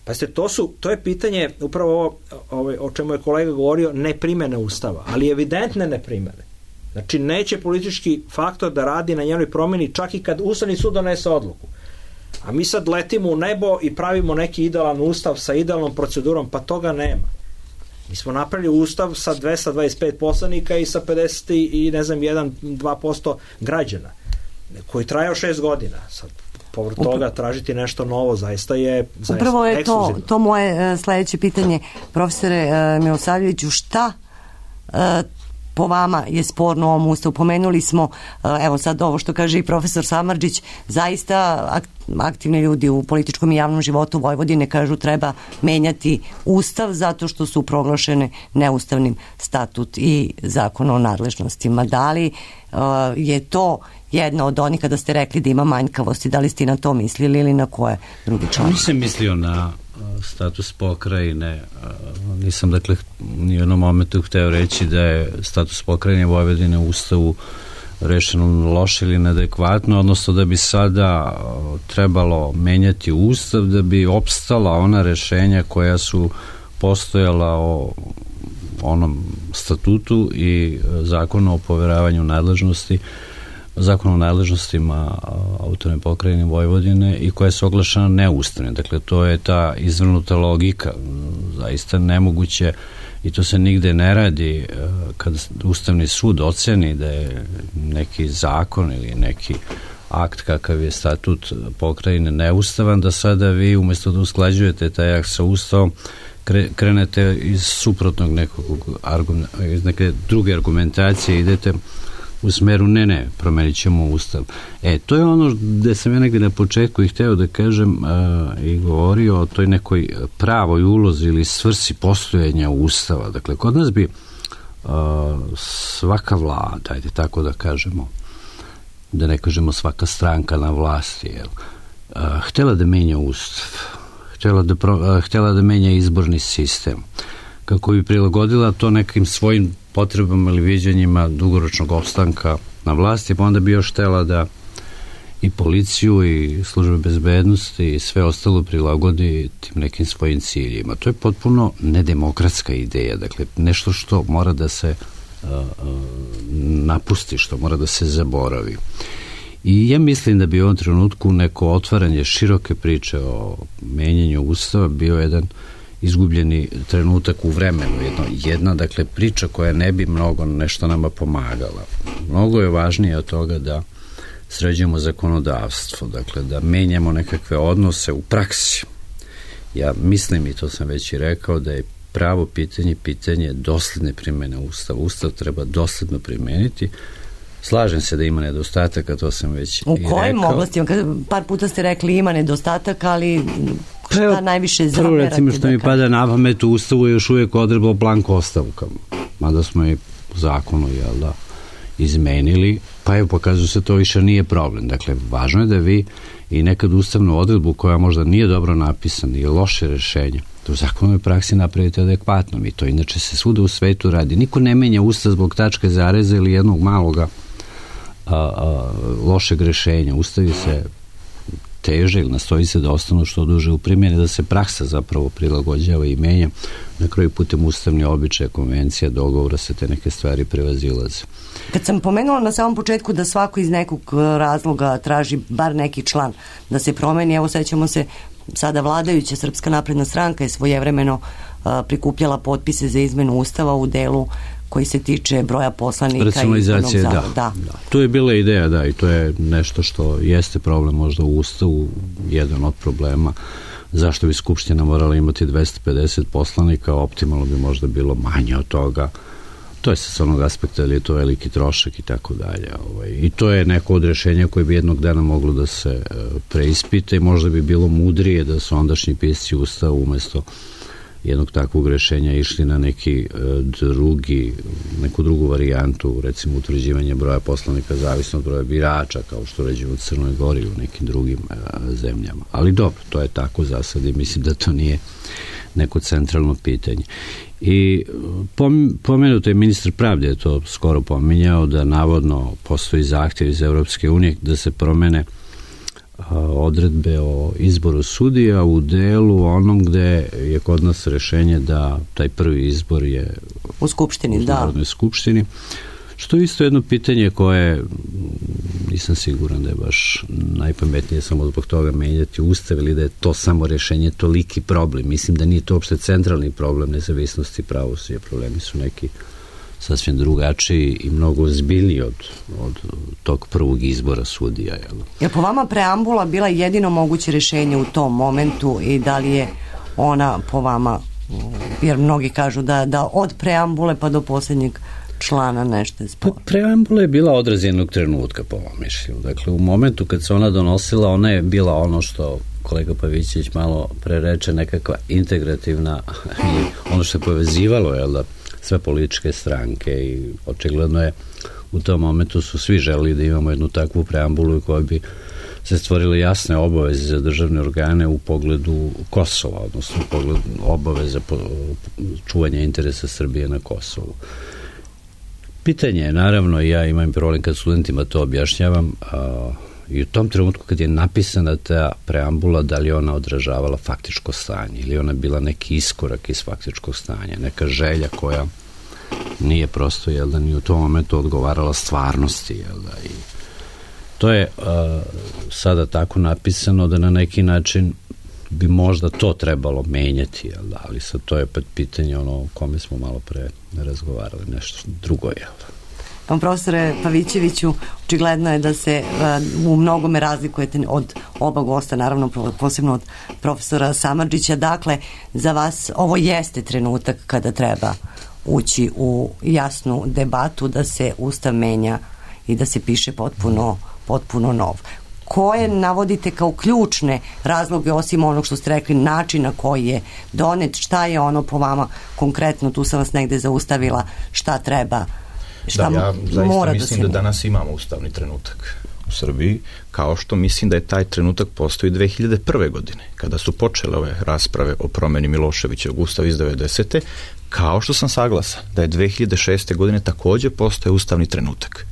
Pa ste, to, su, to je pitanje, upravo ovo, ovo o čemu je kolega govorio, neprimene Ustava, ali evidentne neprimene. Znači, neće politički faktor da radi na njenoj promjeni čak i kad Ustavni sud donese odluku. A mi sad letimo u nebo i pravimo neki idealan ustav sa idealnom procedurom, pa toga nema. Mi smo napravili ustav sa dvesta dvadeset pet poslanika i sa pedeset i ne znam jedan do dva posto građana koji trajao šest godina. Sad povrh toga tražiti nešto novo zaista je zaista upravo je to, to moje uh, sledeće pitanje, profesore uh, Milosavljeviću, šta uh, po vama je sporno u ovom ustavu? Pomenuli smo, evo sad ovo što kaže i profesor Samardžić, zaista aktivni ljudi u političkom i javnom životu Vojvodine kažu treba menjati ustav zato što su proglašene neustavnim statut i zakon o nadležnostima. Da li uh, je to jedna od onih kada ste rekli da ima manjkavosti, da li ste na to mislili ili na koje drugi član? Nisam mislio na status pokrajine, nisam, dakle, ni u jednom momentu hteo reći da je status pokrajine Vojvodine u Ustavu rešeno loše ili neadekvatno, odnosno da bi sada trebalo menjati Ustav da bi opstala ona rešenja koja su postojala o onom statutu i zakonu o poveravanju nadležnosti, zakon o nadležnostima autonomne pokrajine Vojvodine i koja je oglašena neustavne. Dakle, to je ta izvrnuta logika, zaista nemoguće, i to se nigde ne radi kad Ustavni sud oceni da je neki zakon ili neki akt kakav je statut pokrajine neustavan, da sada vi umjesto da usklađujete taj akt sa Ustavom krenete iz suprotnog nekog iz neke druge argumentacije, idete u smeru ne, ne, promenit ćemo Ustav. E, to je ono gde sam ja negde na početku i hteo da kažem a, i govorio o toj nekoj pravoj ulozi ili svrsi postojanja Ustava. Dakle, kod nas bi a, svaka vlada, ajde tako da kažemo, da ne kažemo svaka stranka na vlasti, jel, a, htela da menja Ustav, htela da, pro, a, htela da menja izborni sistem, kako bi prilagodila to nekim svojim potrebama ili viđenjima dugoročnog opstanka na vlasti, pa onda bi još htela da i policiju i službe bezbednosti i sve ostalo prilagodi tim nekim svojim ciljima. To je potpuno nedemokratska ideja, dakle nešto što mora da se uh, uh, napusti, što mora da se zaboravi. I ja mislim da bi u ovom trenutku neko otvaranje široke priče o menjanju Ustava bio jedan izgubljeni trenutak u vremenu, jedna, jedna dakle priča koja ne bi mnogo nešto nama pomagala. Mnogo je važnije od toga da sređujemo zakonodavstvo, dakle da menjamo nekakve odnose u praksi. Ja mislim, i to sam već i rekao, da je pravo pitanje pitanje dosledne primene Ustava. Ustav treba dosledno primeniti. Slažem se da ima nedostataka, to sam već u i rekao. U kojim oblastima? Par puta ste rekli ima nedostataka, ali šta najviše zamerate? Prvo, recimo, što da mi pada na pamet, u Ustavu je još uvijek odredba o blanko ostavkama, mada smo i u zakonu, jel da, izmenili, pa evo, pokazuje se to više nije problem. Dakle, važno je da vi i nekad ustavnu odredbu koja možda nije dobro napisana i loše rešenje, da u zakonoj praksi napravite adekvatno. I to inače se svuda u svetu radi. Niko ne menja Ustav zbog tačke zareza ili jednog maloga a, a, lošeg rešenja. Ustavi se teže ili nastoji se da ostanu što duže u primjeni, da se praksa zapravo prilagođava i menja. Na kraju putem ustavni običaja, konvencija, dogovora se te neke stvari prevazilaze. Kad sam pomenula na samom početku da svako iz nekog razloga traži bar neki član da se promeni, evo sećamo se sada vladajuća Srpska napredna stranka je svojevremeno a, prikupljala potpise za izmenu Ustava u delu koji se tiče broja poslanika i izbornog da, da. da. To je bila ideja, da, i to je nešto što jeste problem možda u Ustavu, jedan od problema. Zašto bi Skupština morala imati dvesta pedeset poslanika, optimalno bi možda bilo manje od toga. To je sa onog aspekta, ali je to veliki trošak i tako dalje. I to je neko od rešenja koje bi jednog dana moglo da se preispita i možda bi bilo mudrije da su ondašnji pisci Ustava umesto jednog takvog rešenja išli na neki drugi, neku drugu varijantu, recimo utvrđivanje broja poslanika zavisno od broja birača, kao što ređe u Crnoj Gori i u nekim drugim zemljama. Ali dobro, to je tako za sad i mislim da to nije neko centralno pitanje. I pomenuto je ministar pravde, je to skoro pominjao, da navodno postoji zahtjev iz Evropske unije da se promene odredbe o izboru sudija u delu onom gde je kod nas rešenje da taj prvi izbor je u Skupštini, u Narodnoj skupštini, što je isto jedno pitanje koje nisam siguran da je baš najpametnije samo zbog toga menjati Ustav ili da je to samo rešenje toliki problem. Mislim da nije to uopšte centralni problem nezavisnosti pravosuđa. Problemi su neki sasvim drugačiji i mnogo ozbiljniji od, od tog prvog izbora sudija. Jel? Je po vama preambula bila jedino moguće rešenje u tom momentu i da li je ona po vama, jer mnogi kažu da, da od preambule pa do posljednjeg člana nešto je sporo. Preambula je bila odraz jednog trenutka po mom mišljenju. Dakle, u momentu kad se ona donosila, ona je bila ono što kolega Pavićević malo prereče, nekakva integrativna i ono što je povezivalo, jel da, sve političke stranke i očigledno je u tom momentu su svi želeli da imamo jednu takvu preambulu koja bi se stvorile jasne obaveze za državne organe u pogledu Kosova, odnosno u pogledu obaveza čuvanja interesa Srbije na Kosovu. Pitanje je, naravno, ja imam problem kad studentima to objašnjavam, a, i u tom trenutku kad je napisana ta preambula, da li ona odražavala faktičko stanje ili ona bila neki iskorak iz faktičkog stanja, neka želja koja nije prosto, jel da, ni u tom momentu odgovarala stvarnosti, jel da, i to je a, sada tako napisano da na neki način bi možda to trebalo menjati, jel da, ali sad to je pet pitanje ono o kome smo malo pre razgovarali, nešto drugo, jel da. Pa, profesore Pavićeviću, očigledno je da se uh, u mnogome razlikujete od oba gosta, naravno posebno od profesora Samardžića. Dakle, za vas ovo jeste trenutak kada treba ući u jasnu debatu da se Ustav menja i da se piše potpuno, potpuno nov. Koje navodite kao ključne razloge, osim onog što ste rekli, način na koji je donet, šta je ono po vama konkretno, tu sam vas negde zaustavila, šta treba, šta da, ja zaista mora mislim da da danas imamo ustavni trenutak u Srbiji, kao što mislim da je taj trenutak postoji dve hiljade prve. godine, kada su počele ove rasprave o promeni Miloševićevog ustava iz devedesete. Kao što sam saglasan da je dve hiljade šeste. godine takođe postoje ustavni trenutak.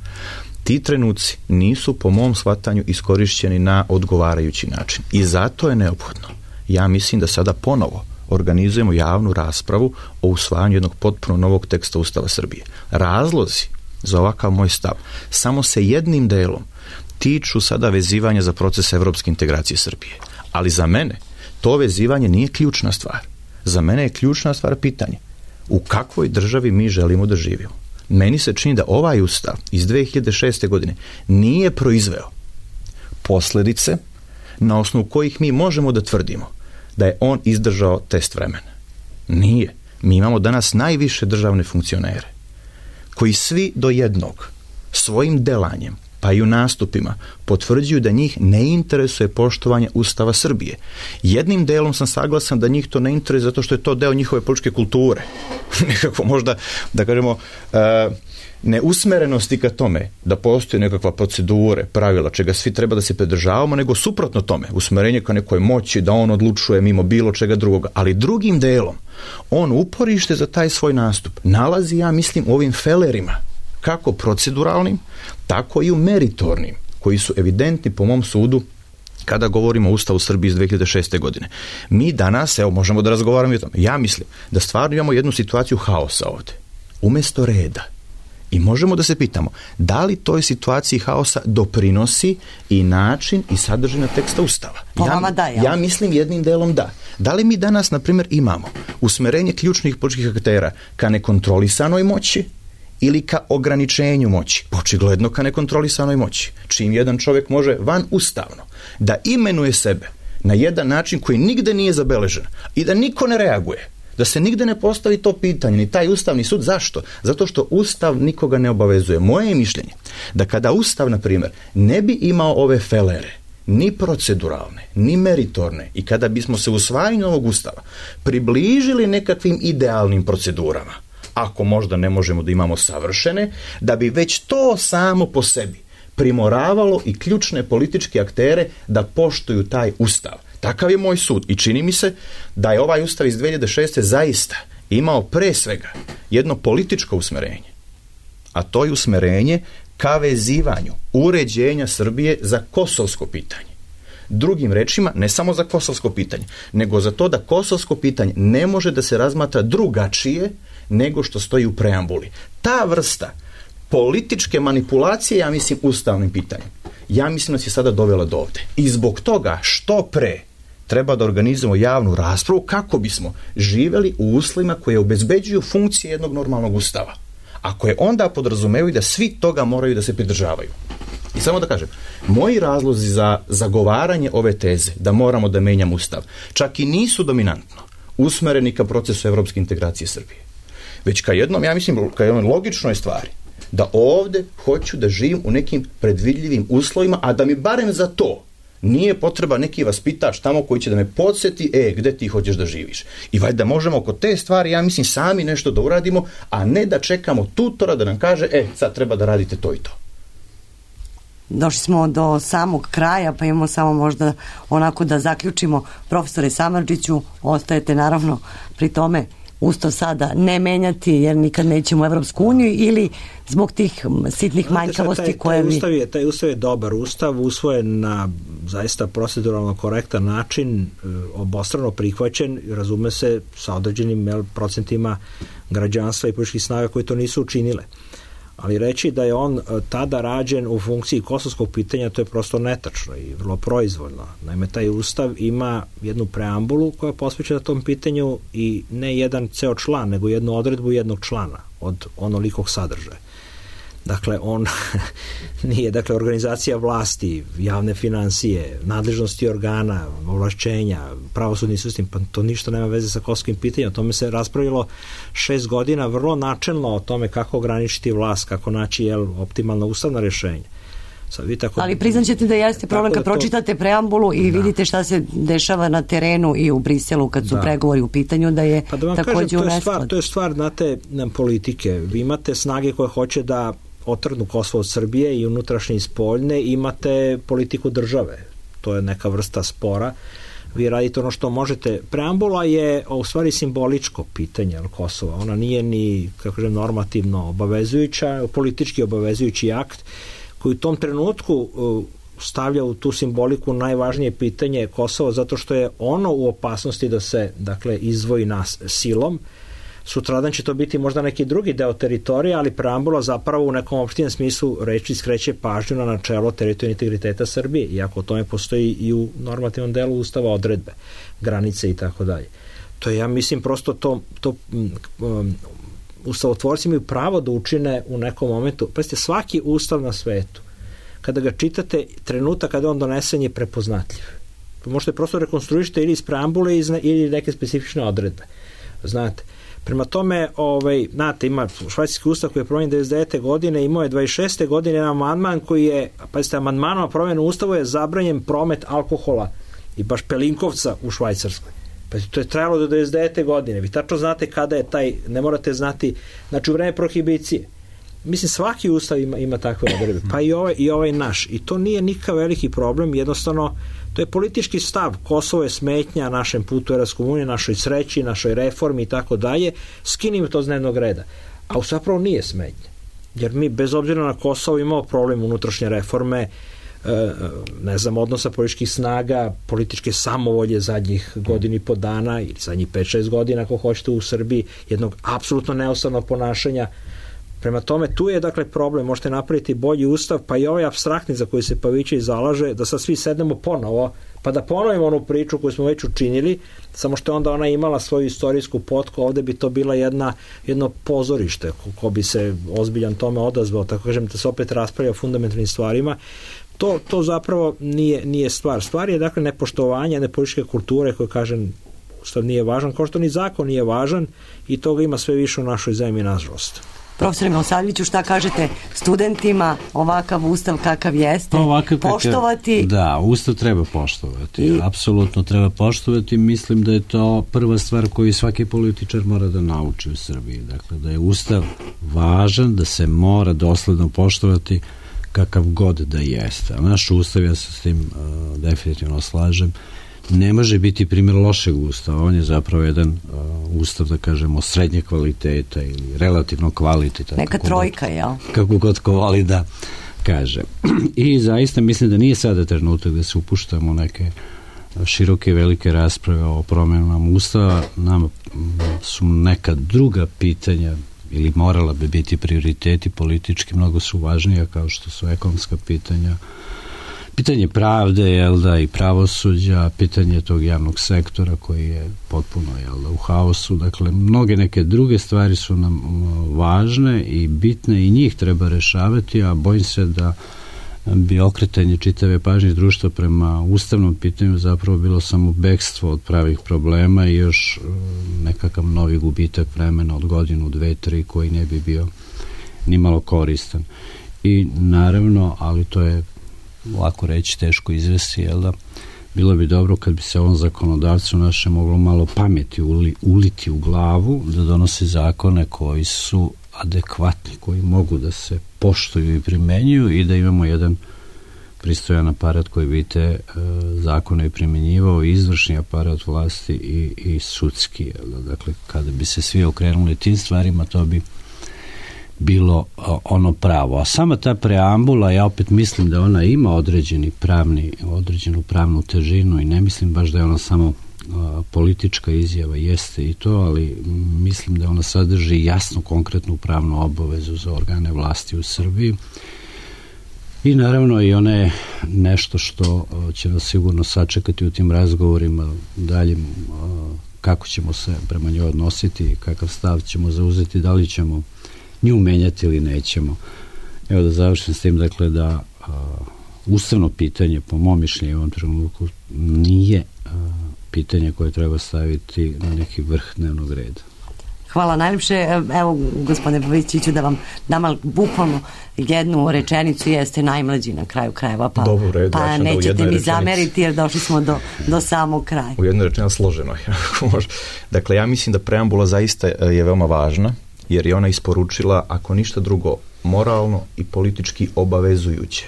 Ti trenuci nisu po mom shvatanju iskorišćeni na odgovarajući način i zato je neophodno, ja mislim da sada ponovo organizujemo javnu raspravu o usvajanju jednog potpuno novog teksta Ustava Srbije. Razlozi za ovakav moj stav samo se jednim delom tiču sada vezivanja za proces evropske integracije Srbije. Ali za mene to vezivanje nije ključna stvar. Za mene je ključna stvar pitanje u kakvoj državi mi želimo da živimo. Meni se čini da ovaj ustav iz dve hiljade šeste. godine nije proizveo posledice na osnovu kojih mi možemo da tvrdimo da je on izdržao test vremena. Nije. Mi imamo danas najviše državne funkcionere koji svi do jednog svojim delanjem pa i u nastupima, potvrđuju da njih ne interesuje poštovanje Ustava Srbije. Jednim delom sam saglasan da njih to ne interesuje zato što je to deo njihove političke kulture. Nekako možda, da kažemo, uh, neusmerenosti ka tome da postoji nekakva procedure, pravila, čega svi treba da se pridržavamo, nego suprotno tome, usmerenje ka nekoj moći, da on odlučuje mimo bilo čega drugoga. Ali drugim delom, on uporište za taj svoj nastup nalazi, ja mislim, u ovim felerima, kako proceduralnim, tako i u meritornim, koji su evidentni po mom sudu kada govorimo o Ustavu Srbije iz dve hiljade šeste. godine. Mi danas, evo, možemo da razgovaramo i o tome. Ja mislim da stvarno imamo jednu situaciju haosa ovde, umesto reda. I možemo da se pitamo, da li toj situaciji haosa doprinosi i način i sadržina teksta Ustava? Po vama da, ja. ja mislim jednim delom da. Da li mi danas, na primjer, imamo usmerenje ključnih političkih aktera ka nekontrolisanoj moći ili ka ograničenju moći? Očigledno ka nekontrolisanoj moći. Čim jedan čovjek može van ustavno da imenuje sebe na jedan način koji nigde nije zabeležen i da niko ne reaguje, da se nigde ne postavi to pitanje, ni taj Ustavni sud. Zašto? Zato što Ustav nikoga ne obavezuje. Moje je mišljenje da kada Ustav, na primjer, ne bi imao ove felere, ni proceduralne, ni meritorne, i kada bismo se usvajanju ovog Ustava približili nekakvim idealnim procedurama, ako možda ne možemo da imamo savršene, da bi već to samo po sebi primoravalo i ključne političke aktere da poštuju taj Ustav. Takav je moj sud i čini mi se da je ovaj Ustav iz dve hiljade šeste. zaista imao pre svega jedno političko usmerenje, a to je usmerenje ka vezivanju uređenja Srbije za kosovsko pitanje. Drugim rečima, ne samo za kosovsko pitanje, nego za to da kosovsko pitanje ne može da se razmatra drugačije nego što stoji u preambuli. Ta vrsta političke manipulacije, ja mislim, ustavnim pitanjem, ja mislim da se sada dovela do ovde. I zbog toga što pre treba da organizujemo javnu raspravu kako bismo živeli u uslovima koje obezbeđuju funkcije jednog normalnog Ustava, a koje onda podrazumevaju da svi toga moraju da se pridržavaju. I samo da kažem, moji razlozi za zagovaranje ove teze da moramo da menjamo Ustav čak i nisu dominantno usmereni ka procesu evropske integracije Srbije, već ka jednom, ja mislim, ka jednoj logičnoj stvari, da ovde hoću da živim u nekim predvidljivim uslovima, a da mi barem za to nije potreba neki vaspitač tamo koji će da me podsjeti, e, gde ti hoćeš da živiš. I valjda možemo oko te stvari, ja mislim, sami nešto da uradimo, a ne da čekamo tutora da nam kaže, e, sad treba da radite to i to. Došli smo do samog kraja, pa imamo samo možda onako da zaključimo. Profesore Samardžiću, ostajete naravno pri tome Ustav sada ne menjati jer nikad nećemo u Evropsku uniju, ili zbog tih sitnih manjkavosti taj, taj, koje vi... Ustav je, taj Ustav je dobar Ustav, usvojen na zaista proceduralno korektan način, obostrano prihvaćen, razume se, sa određenim jel, procentima građanstva i političkih snaga koji to nisu učinile. Ali reći da je on tada rađen u funkciji kosovskog pitanja, to je prosto netačno i vrlo proizvoljno. Naime, taj Ustav ima jednu preambulu koja je posvećena tom pitanju i ne jedan ceo član, nego jednu odredbu jednog člana od onolikog sadržaja. Dakle, on nije, dakle, organizacija vlasti, javne finansije, nadležnosti organa, ovlašćenja, pravosudni sistem, pa to ništa nema veze sa kosovskim pitanjem. O tome se raspravilo šest godina vrlo načelno o tome kako ograničiti vlast, kako naći jel, optimalna ustavna rješenja. Sad, vi tako, ali priznaćete da jeste problem kad da pročitate to... preambulu i da. vidite šta se dešava na terenu i u Briselu kad su da. pregovori u pitanju, da je pa da vam također kažem, to je stvar, u to je stvar, znate, politike. Vi imate snage koje hoće da otrgnu Kosovo od Srbije i unutrašnje i spoljne, imate politiku države. To je neka vrsta spora. Vi radite ono što možete. Preambula je u stvari simboličko pitanje Kosova. Ona nije ni, kako kažem, normativno obavezujuća, politički obavezujući akt koji u tom trenutku stavlja u tu simboliku najvažnije pitanje Kosova, zato što je ono u opasnosti da se, dakle, izdvoji nas silom. Sutradan će to biti možda neki drugi deo teritorija, ali preambula zapravo u nekom opštijem smislu reči skreće pažnju na načelo teritorijalnog integriteta Srbije, iako o tome postoji i u normativnom delu Ustava odredbe, granice i tako dalje. To je, ja mislim, prosto to, to um, ustavotvorci imaju pravo da učine u nekom momentu. Pazite, svaki ustav na svetu, kada ga čitate, trenutak kada on donesen je prepoznatljiv. Možete prosto rekonstruišiti ili iz preambule ili neke specifične odredbe. Znate, Prema tome, ovaj, znate, ima švajcarski ustav koji je promenjen devedeset devete godine, imao je dvadeset šeste godine jedan amandman koji je, pazite, amandmanom na promjenu ustavu je zabranjen promet alkohola i baš pelinkovca u Švajcarskoj. Pa to je trajalo do devedeset devete godine. Vi tačno znate kada je taj, ne morate znati, znači u vreme prohibicije. Mislim, svaki ustav ima, ima takve odredbe, pa i ovaj, i ovaj naš. I to nije nikakav veliki problem, jednostavno, to je politički stav. Kosovo je smetnja našem putu Evropske unije, našoj sreći, našoj reformi i tako dalje. Skinimo to z dnevnog reda. A zapravo nije smetnja. Jer mi, bez obzira na Kosovo, imamo problem unutrašnje reforme, ne znam, odnosa političkih snaga, političke samovolje zadnjih godina i po dana ili zadnjih pet šest godina, ako hoćete, u Srbiji, jednog apsolutno neustavnog ponašanja. Prema tome, tu je dakle problem, možete napraviti bolji ustav, pa i ovaj apstraktni za koji se Pavićević zalaže, da sad svi sednemo ponovo, pa da ponovimo onu priču koju smo već učinili, samo što je onda ona imala svoju istorijsku potku, ovde bi to bila jedna, jedno pozorište, ko, ko bi se ozbiljan tome odazvao, tako kažem, da se opet raspravlja o fundamentalnim stvarima. To, to zapravo nije, nije stvar. Stvar je dakle nepoštovanje jedne političke kulture koje, kažem, ustav nije važan, kao što ni zakon nije važan i toga ima sve više u našoj zemlji, nažalost. Profesore Milosavljeviću, šta kažete studentima, ovakav ustav kakav jeste, ovakav poštovati? Kakav, da, ustav treba poštovati, I... apsolutno treba poštovati. Mislim da je to prva stvar koju svaki političar mora da nauči u Srbiji. Dakle, da je ustav važan, da se mora dosledno poštovati kakav god da jeste. A naš ustav, ja se s tim uh, definitivno slažem, ne može biti primjer lošeg ustava. On je zapravo jedan uh, ustav, da kažemo, srednje kvaliteta ili relativno kvaliteta. Neka trojka, jel? Kako god ko voli da kaže. I zaista mislim da nije sada trenutak da se upuštamo neke široke i velike rasprave o promjenama ustava. Nam su neka druga pitanja ili morala bi biti prioriteti politički, mnogo su važnija, kao što su ekonomska pitanja, pitanje pravde, jel da, i pravosuđa, pitanje tog javnog sektora koji je potpuno, jel da, u haosu. Dakle, mnoge neke druge stvari su nam važne i bitne i njih treba rešavati, a bojim se da bi okretanje čitave pažnje društva prema ustavnom pitanju zapravo bilo samo bekstvo od pravih problema i još nekakav novi gubitak vremena od godinu, dve, tri, koji ne bi bio ni malo koristan. I naravno, ali to je lako reći, teško izvesti, jel da, bilo bi dobro kad bi se ovom zakonodavcu naše moglo malo pameti uli, uliti u glavu, da donosi zakone koji su adekvatni, koji mogu da se poštuju i primenjuju i da imamo jedan pristojan aparat koji bi te e, zakone primenjivao, izvršni aparat vlasti i, i sudski. Jel da? Dakle, kada bi se svi okrenuli tim stvarima, to bi bilo ono pravo. A sama ta preambula, ja opet mislim da ona ima određeni pravni, određenu pravnu težinu i ne mislim baš da je ona samo a, politička izjava, jeste i to, ali mislim da ona sadrži jasnu, konkretnu pravnu obavezu za organe vlasti u Srbiji i naravno i ona je nešto što a, će nas sigurno sačekati u tim razgovorima dalje, a, kako ćemo se prema njoj odnositi, kakav stav ćemo zauzeti, da li ćemo nju menjati ili nećemo. Evo da završim s tim, dakle, da a, ustavno pitanje, po mom mišljenju u ovom trenutku, nije a, pitanje koje treba staviti na neki vrh dnevnog reda. Hvala najljepše. Evo, gospodine Pavićeviću, da vam dam bukvalno jednu rečenicu, jeste najmlađi na kraju krajeva, pa, Dobro, red, pa ja nećete mi zameriti jer došli smo do, do samog kraja. U jednoj rečenici složeno. Dakle, ja mislim da preambula zaista je veoma važna, jer je ona isporučila, ako ništa drugo, moralno i politički obavezujuće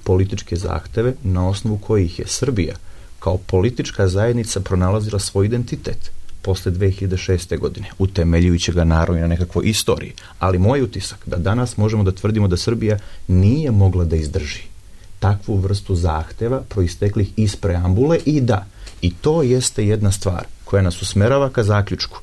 političke zahteve na osnovu kojih je Srbija kao politička zajednica pronalazila svoj identitet posle dve hiljade šeste. godine, utemeljujući ga naravno na nekakvoj istoriji. Ali moj utisak da danas možemo da tvrdimo da Srbija nije mogla da izdrži takvu vrstu zahteva proisteklih iz preambule i da, i to jeste jedna stvar koja nas usmerava ka zaključku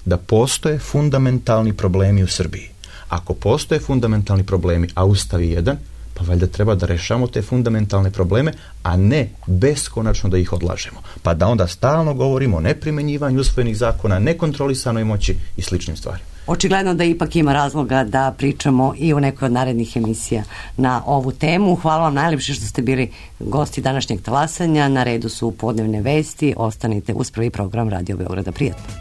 da postoje fundamentalni problemi u Srbiji. Ako postoje fundamentalni problemi, a Ustav je jedan, pa valjda treba da rešamo te fundamentalne probleme, a ne beskonačno da ih odlažemo. Pa da onda stalno govorimo o neprimenjivanju usvojenih zakona, nekontrolisanoj moći i sličnim stvarima. Očigledno da ipak ima razloga da pričamo i u nekoj od narednih emisija na ovu temu. Hvala vam najlepše što ste bili gosti današnjeg talasanja. Na redu su podnevne vesti. Ostanite uz prvi program Radio Beograda. Prijatno.